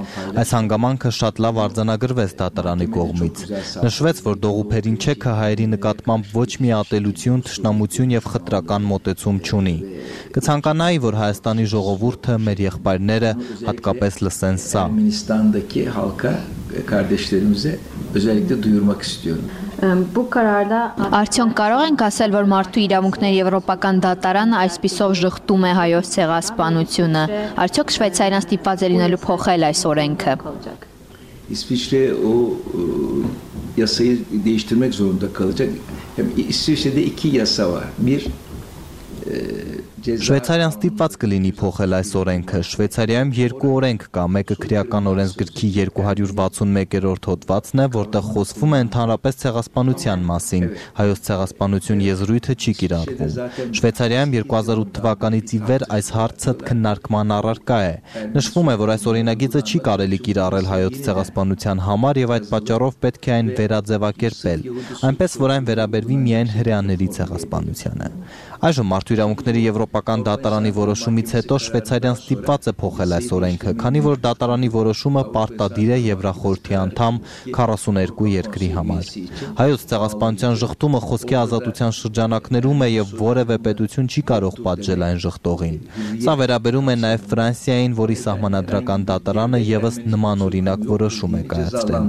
Այս հանգամանքը շատ լավ արձանագրվեց դատարանի կողմից։ Նշվեց, որ Դողուփերին չեքը հայերի նկատմամբ ոչ մի ատելություն, թշնամություն եւ խտրական մոտեցում չունի։ Կցանկանայի, որ Հայաստանի ժողովուրդը, մեր եղբայրները հատկապես լսեն սա։ Ermenistan'daki halka, kardeşlerimize özellikle duyurmak istiyorum. Արդյոք կարող ենք ասել, որ մարդու իրավունքների եվրոպական դատարանը այսպիսով ժխտում է հայոց ցեղասպանությունը։ Արդյոք Շվեյցարիան ստիպված է լինելու փոխել այս օրենքը։ İsviçre o yasayı değiştirmek zorunda kalacak. Hem İsviçre'de iki yasa var. Bir Շվեյցարիան ստիպված կլինի փոխել այս օրենքը։ Շվեյցարիայում երկու օրենք կա, մեկը քրեական օրենսգրքի երկու հարյուր վաթսունմեկերորդ հոդվածն է, որտեղ խոսվում է ընդհանրապես ցեղասպանության մասին։ Հայոց ցեղասպանություն եզրույթը չի կիրառվում։ Շվեյցարիայում երկու հազար ութ թվականից ի վեր այս հարցը քննարկման առարկա է։ Նշվում է, որ այս օրինագիծը չի կարելի կիրառել հայոց ցեղասպանության համար եւ այդ պատճառով պետք է այն վերաձևակերպել, այնպես որ այն վերաբերվի միայն հրեաների ցեղասպանությանը։ Այժմ մարդու իրավունքների եվրոպական դատարանի որոշումից հետո Շվեյցարիան ստիպված է փոխել այս օրենքը, քանի որ դատարանի որոշումը պարտադիր է Եվրախորհրդի անդամ քառասուներկու երկրի համար։ Հայոց ցեղասպանության ժխտումը խոսքի ազատության շրջանակներում է եւ որևէ պետություն չի կարող պատժել այն ժխտողին։ Սա վերաբերում է նաեւ Ֆրանսիային, որի սահմանադրական դատարանը եւս նման օրինակ որոշում է կայացրել։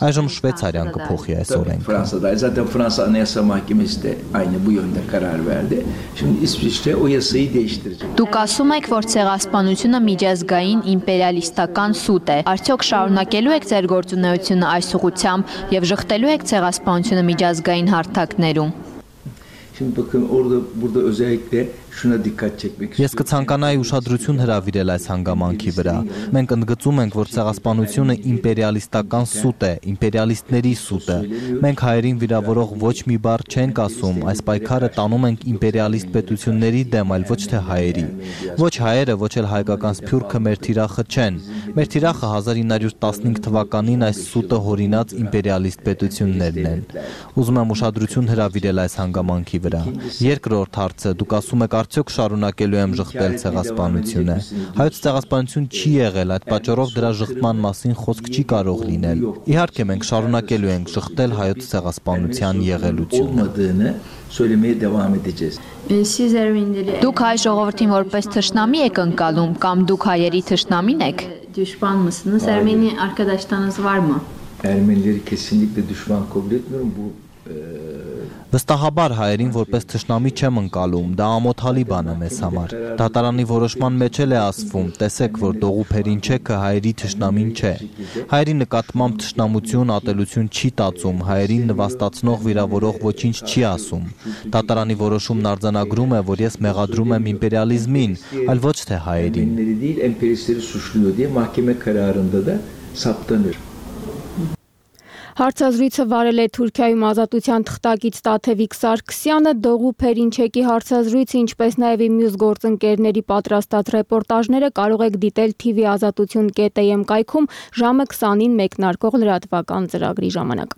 Այժմ Շվեյցարիան կփոխի այս օրենքը։ Fransa Anayasa Mahkemesi de aynı bu yönde karar verdi. Şimdi İsviçre o yasayı değiştirecek. Դուք ասում եք, որ ցեղասպանությունը միջազգային իմպերիալիստական սուտ է։ Արդյոք շարունակելու եք ձեր գործունեությունը այս ուղղությամբ եւ ժխտելու եք ցեղասպանությունը միջազգային հարթակներում։ Şimdi bakın orada burada özellikle şuna dikkat çekmek Ես կցանկանայի ուշադրություն հրավիրել այս հանգամանքի վրա։ Մենք ընդգծում ենք, որ ցեղասպանությունը իմպերիալիստական սուտ է, իմպերիալիստների սուտը։ Մենք հայերին վիրավորող ոչ մի բառ չենք ասում, այս պայքարը տանում ենք իմպերիալիստ պետությունների դեմ, այլ ոչ թե հայերի։ Ոչ հայերը, ոչ էլ հայկական Սփյուռքը մեր թիրախը չեն։ Մեր թիրախը հազար ինը հարյուր տասնհինգ թվականին այս սուտը հորինած իմպերիալիստ պետություններն են։ Ուզում եմ ուշադրություն հրավիրել այս հանգամանքի վրա։ Երկրորդ հարցը, դուք ասում եք արդյոք շարունակելու եմ ժխտել ցեղասպանությունը։ Հայոց ցեղասպանություն չի եղել, այդ պատճառով դրա ժխտման մասին խոսք չի կարող լինել։ Իհարկե մենք շարունակելու ենք ժխտել հայոց ցեղասպանության եղելությունը։ Դուք հայ ժողովրդին որպես թշնամի եք ընկալում կամ դուք հայերի թշնամին եք։ Düşman mısınız? Ermeni arkadaşlarınız var mı? Ermenileri kesinlikle düşman kabul etmiyorum. Bu Վստահաբար հայերին որպես թշնամի չեմ ընկալում, դա ամոթալի բան է մեզ համար։ Դատարանի որոշման մեջ էլ է ասվում, տեսեք, որ Դողուփերին չեքը հայերի թշնամին չէ։ Հայերի նկատմամբ թշնամություն, ատելություն չի տածում, հայերին նվաստացնող, վիրավորող ոչինչ չի ասում։ Դատարանի որոշումն արձանագրում է, որ ես մեղադրում եմ իմպերիալիզմին, այլ ոչ թե հայերին։ değil emperyalistleri suçluyor diye mahkeme kararında da saptanır. Հարցազրույցը վարել է Թուրքիայում ազատության թղթակից Տաթևիկ Սարգսյանը, Դողուփերին չեկի հարցազրույցը, ինչպես նաև մյուս գործընկերների պատրաստած ռեպորտաժները կարող եք դիտել T V ազատություն կետ A M կայքում ժամը քսանին մեկնարկող լրատվական ծրագրի ժամանակ։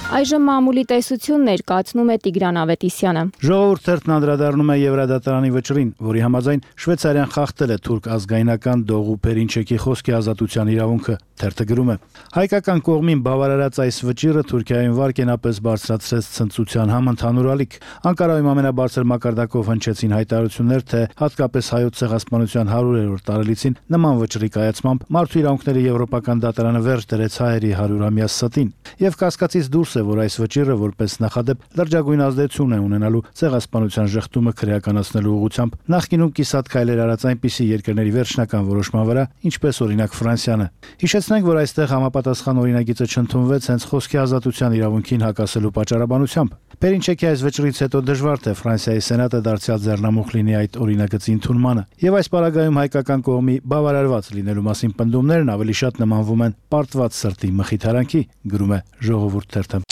Այժմ մամուլի տեսություն ներկայացնում է Տիգրան Ավետիսյանը։ Ժողովուրդ թերթն անդրադառնում է Եվրադատարանի վճռին, որի համաձայն Շվեյցարիան խախտել է թուրք ազգայնական Դողուփերին չեկի խոսքի ազատության իրավունքը։ Թերթը գրում է. հայկական կողմին բավարարած այս վճիռը Թուրքիայում վարկենապես բարձրացրեց ցնծության համընդհանուր ալիք։ Անկարայում ամենաբարձր մակարդակով հնչեցին հայտարարություններ, թե հատկապես հայոց ցեղասպանության հարյուրերորդ տարելիցին նման վճռի կայացմամբ մարդու իրավունքների եվրոպական դատարանը վերջ դրեց հայերի հարյուրամյա ստին։ Եվ կասկածից դուրս է, որ այս վճիռը որպես նախադեպ լրջագույն ազդեցություն է ունենալու ցեղասպանության ժխտումը քրեականացնելու ուղղությամբ նախկինում կիսատ քայլեր արած այնպիսի երկրների վերջնական որոշման վրա, ինչպես օրինակ Ֆրանսիանը։ Հիշեցնենք, որ այստեղ համապատասխան օրինագիծը չընդունվեց հենց խոսքի ազատության իրավունքին հակասելու պատճառաբանությամբ։ Պերինչեկի այս վճռից հետո դժվար թե Ֆրանսիայի սենատը դարձյալ ձեռնամուխ լինի այդ օրինագծի ընդունմանը։ Եվ այս պարագայում հայկական կողմի բավարարված լինելու մասին պնդումներն ավելի շատ նմանվում են պարտված սրտի մխիթարանքի, գրում է Ժողովուրդ թերթը։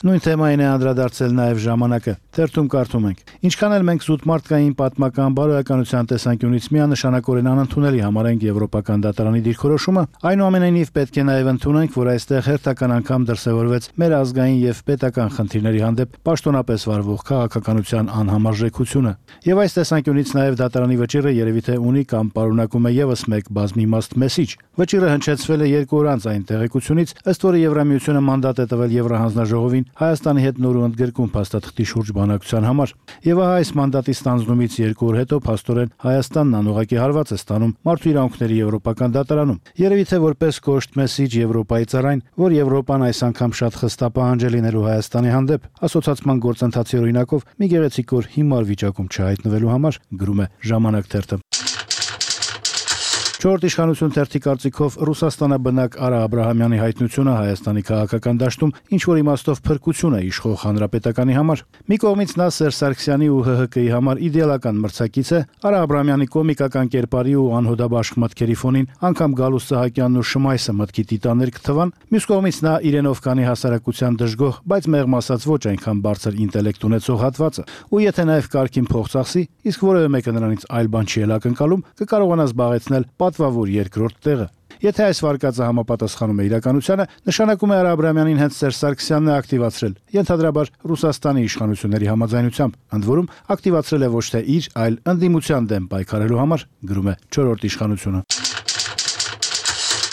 Նույն թեմային է անդրադարձել նաև ժամանակը։ Թերթում կարդում ենք. Ինչքան էլ մենք զուտ մարդկային պատմական բարոյականության տեսանկյունից միանշանակորեն անընդունելի համարենք Եվրոպական դատարանի դիրքորոշումը, այնուամենայնիվ պետք է նաև ընդունենք, որ այստեղ հերթական անգամ դրսևորվեց մեր ազգային եւ պետական խնդիրների հանդեպ պաշտոնապես վարվող քաղաքականության անհամարժեքությունը։ Եվ այս տեսանկյունից նաև դատարանի վճիռը երևի թե ունի կամ պարունակում է եւս մեկ բազմիմաստ մեսիջ։ Վճիռը հնչեցվել է երկու օր անց այն տեղեկությունից, ըստ որի Եվրամիությունը մանդատ է տվել Եվրահանձնաժողովին Հայաստանի հետ նոր ու ընդգրկում փաստաթղթի շուրջ բանակցության համար։ Եվ ահա այս մանդատի ստանձնումից երկու օր հետո փաստորեն Հայաստանն անուղղակի հարված է ստանում Մարդու իրավունքների Եվրոպական դատարանում։ Երևի թե որպես կոշտ մեսիջ Եվրոպայի ծառային, որ Եվրոպան այս անգամ շատ խստապահանջ է լինելու Հայաստանի հանդեպ, ասոցացման գործընթացի օրինակով մի գեղեցիկ օր հիմար վիճակում չհայտնվելու համար, գրում է Ժամանակ թերթը։ Չորրորդ իշխանություն թերթի կարծիքով Ռուսաստանաբնակ Արա Աբրահամյանի հայտնությունը Հայաստանի քաղաքական դաշտում ինչ որ իմաստով փրկություն է իշխող հանրապետականի համար։ Մի կողմից նա Սերժ Սարգսյանի ու ՀՀԿ-ի համար իդեալական մրցակից է, Արա Աբրահամյանի կոմիկական կերպարի ու անհոդաբաշխ մտքերի ֆոնին անգամ Գալուստ Սահակյանն ու Շմայսը մտքի տիտաններ կթվան։ Մյուս կողմից նա իրենով կանի հասարակության դժգոհ, բայց մեղմ ասած ոչ այնքան բարձր ինտելեկտ ունեցող հատվածը։ Ու եթե նաև կարգին փող ծախսի, իսկ որևէ մեկը նրանից այլ բան չի ակնկալում, կկարողանա զբաղեցնել պատվավոր երկրորդ տեղը։ Եթե այս վարկածը համապատասխանում է իրականությանը, նշանակում է Արա Աբրահամյանին հենց Սերժ Սարգսյանն է ակտիվացրել, ենթադրաբար Ռուսաստանի իշխանությունների համաձայնությամբ, ընդ որում ակտիվացրել է ոչ թե իր, այլ ընդդիմության դեմ պայքարելու համար, գրում է չորրորդ իշխանությունը։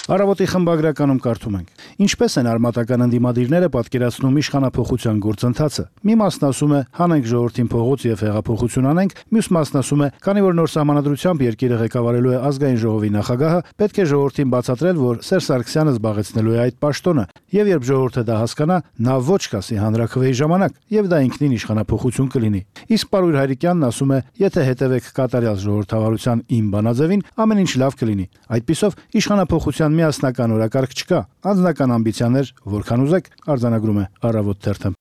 Առավոտի խմբագրականում կարդում ենք. Ինչպես են արմատական ընդդիմադիրները պատկերացնում իշխանափոխության գործընթացը։ Մի մասն ասում է հանենք ժողովրդին փողոց եւ հեղափոխություն անենք, մյուս մասն ասում է քանի որ նոր սահմանադրությամբ երկիրը ղեկավարելու է ազգային ժողովի նախագահը, պետք է ժողովրդին բացատրել, որ Սերժ Սարգսյանը զբաղեցնելու է այդ պաշտոնը, եւ երբ ժողովուրդը դա հասկանա, նա ոչ կասի հանրաքվեի ժամանակ, եւ դա ինքնին իշխանափոխություն կլինի։ Իսկ Պարույր Հայրիկյանն ասում է, եթե հետևեք կատարյալ ժողովրդավարության իմ բանաձևին, ամեն ինչ լավ կլինի։ Այդպիսով իշխանափոխության միասնական օրակարգ չկա, անձնական ամբիցիաներ, որքան ուզեք, արձանագրում է Առավոտ թերթը։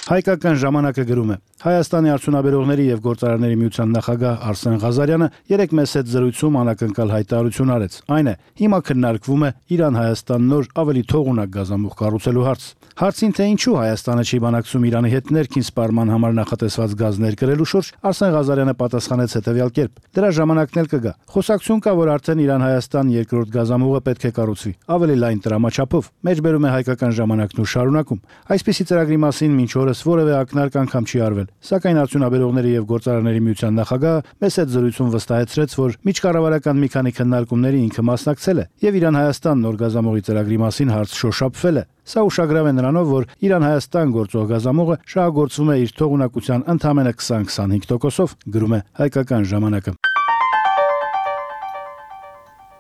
Հայկական ժամանակը գրում է. Հայաստանի արդյունաբերողների եւ գործարարների միության նախագահ Արսեն Ղազարյանը երեկ մեծ հետ զրույցում անակնկալ հայտարարություն արեց։ Այն է, հիմա քննարկվում է Իրան-Հայաստան նոր ավելի թողունակ գազամուղ կառուցելու հարց։ Հարցին թե ինչու Հայաստանը չի բանակցում Իրանի հետ ներքին սպառման համար նախատեսված գազ ներկրելու շուրջ, Արսեն Ղազարյանը պատասխանեց հետեւյալ կերպ. Դրա ժամանակն էլ կգա։ Խոսակցություն կա, որ արդեն Իրան-Հայաստան երկրորդ գազամուղը պետք է կառուցվի, ավելի լայն տրամաչափով։ Մեջբերում է հայկական ժամանակն ու շարունակում։ Այսպիսի ծրագրի մասին մինչ օրս որևէ ակնարկ անգամ չի արվել։ Սակայն արդյունաբերողների եւ գործարարների միության նախագահը մեծ հետ զրույցում վստահեցրեց, որ միջկառավարական մի քանի քննարկումների ինքը մասնակցել է եւ Իրան-Հայաստան նոր գազամուղի ծրագրի մասին հարց շոշափվել է։ Սա ուշագրավ է նրանով, որ Իրան-Հայաստան գործող գազամուղը շահագործվում է իր թողունակության ընդամենը քսան-քսանհինգ տոկոսով, գրում է Հայկական ժամանակը։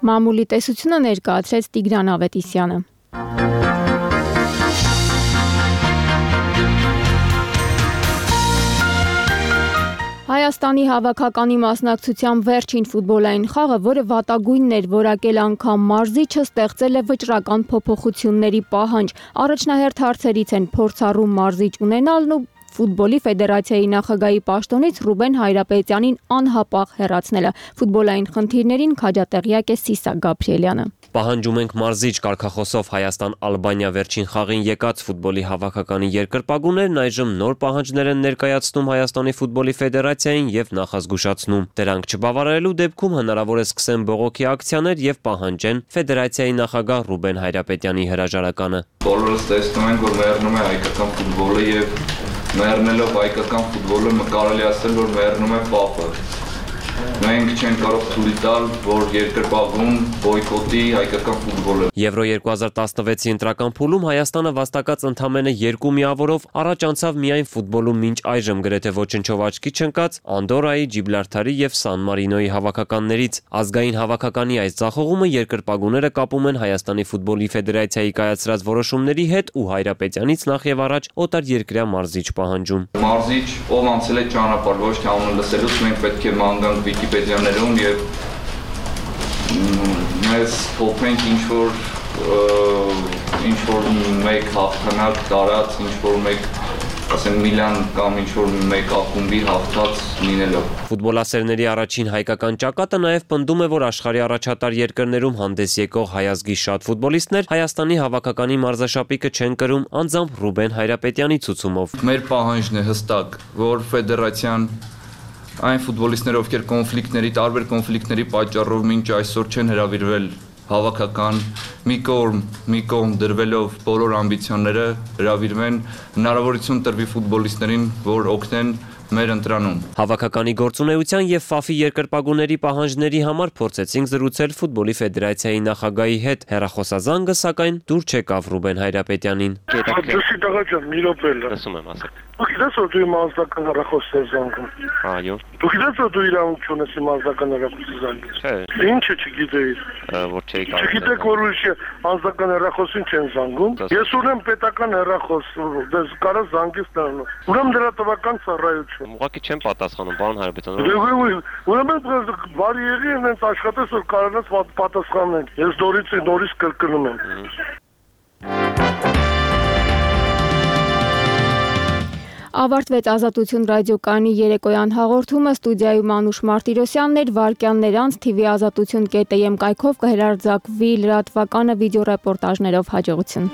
Մամուլի տեսությունը ներկայացրեց Տիգրան Ավետիսյանը։ Հայաստանի հավաքականի մասնակցությամբ վերջին ֆուտբոլային խաղը, որը վատագույնն էր որակել անգամ մարզիչը, ստեղծել է վճռական փոփոխությունների պահանջ։ Առաջնահերթ հարցերից են փորձառու մարզիչ ունենալն ու Ֆուտբոլի ֆեդերացիայի նախագահի պաշտոնից Ռուբեն Հայրապետյանին անհապաղ հեռացնելը։ Ֆուտբոլային խնդիրներին քաջատեղյակ է Սիսա Գաբրիելյանը։ Պահանջում ենք մարզիչ կարգախոսով Հայաստան-Ալբանիա վերջին խաղին եկած ֆուտբոլի հավաքականի երկրպագուներն այժմ նոր պահանջներ են ներկայացնում Հայաստանի ֆուտբոլի ֆեդերացիային եւ նախազգուշացնում։ Դրանք չբավարարելու դեպքում հնարավոր է սկսեն բողոքի ակցիաներ եւ պահանջեն ֆեդերացիայի նախագահ Ռուբեն Հայրապետյանի հրաժարականը։ Բոլորս տեսնում ենք, որ մեռնում է հայկական ֆուտբոլը եւ մեռնելով հայկական ֆուտբոլը կարելի ասել, որ մեռնում է պապը։ Մենք չենք կարող թույլ տալ, որ երկրպագուն բոյկոտի հայկական ֆուտբոլը։ Եվրո երկու հազար տասնվեցի ընտրական փուլում Հայաստանը վաստակած ընդամենը երկու միավորով առաջ անցավ միայն ֆուտբոլում մինչ այժմ գրեթե ոչնչով աչքի չընկած Անդորայի, Ջիբլարթարի եւ Սան Մարինոյի հավաքականներից։ Ազգային հավաքականի այս ձախողումը երկրպագուները կապում են Հայաստանի ֆուտբոլի ֆեդերացիայի կայացրած որոշումների հետ ու Հայրապետյանից նախ եւ առաջ օտարերկրյա մարզիչ պահանջում։ Մարզիչ, ով անցել է ճանապարհ, ոչ թե անունը լսելուց մենք պետք է մանկանք Վիկիպեդիաներում եւ մեզ փոխենք ինչ որ ինչ որ մեկ հաղթանակ տարած, ինչ որ մեկ ասեն Միլան կամ ինչ-որ մեկ ակումբի հաղթած լինելով։ Ֆուտբոլասերների առաջին հայկական ճակատը նաև պնդում է, որ աշխարհի առաջատար երկրներում հանդես եկող հայազգի շատ ֆուտբոլիստներ Հայաստանի հավաքականի մարզաշապիկը չեն կրում անձամբ Ռուբեն Հայրապետյանի ցուցումով։ Մեր պահանջն է հստակ, որ ֆեդերացիան այն ֆուտբոլիստները, ովքեր կոնֆլիկտների, տարբեր կոնֆլիկտների պատճառով մինչ այսօր չեն հրավիրվել հավաքական, մի կողմ, մի կողմ դրվելով բոլոր ամբիցիոնները հրավիրվեն, հնարավորություն տրվի ֆուտբոլիստներին, որ օգնեն մեր ընտրանում։ Հավաքականի գործունեության եւ ՖԱՖ-ի երկրպագուների պահանջների համար փորձեցինք զրուցել ֆուտբոլի ֆեդերացիայի նախագահի հետ։ Հեռախոսազանգը սակայն դուր չեկավ Ռուբեն Հայրապետյանին։ Դասի տղա ջան, մի րոպե էլ։ Լսում եմ, ասեք։ Դուք գիտես որ դու իմ անձնական հեռախոսը զանգում։ Այո։ Դու գիտես որ դու իրավունք չունես իմ անձնական հեռախոսը զանգել։ Չէ։ Ինչը չգիտեիր։ Որ չէի կարող։ Չգիտեք որ ուրիշ անձնական հեռախոսին չեն զանգում։ Ես ունեմ պետական հեռախոս, դες կարա զանգես նրանով։ Ուրեմն դրա տվական ծառայություն։ Ուղղակի չեմ պատասխանում, պարոն Հայրապետյան։ Ուրեմն բարի եղի ինձ աշխատես որ կարողանաս պատասխանել։ Ես նորից նորից կրկնում եմ։ Ավարտվեց Ազատություն ռադիոկայանի երեկոյան հաղորդումը, ստուդիայում Անուշ Մարտիրոսյանն էր, վարքյաններ անց T V ազատություն կետ am կայքով կհրարձակվի լրատվականը վիդեոռեպորտաժներով։ Հաջողություն։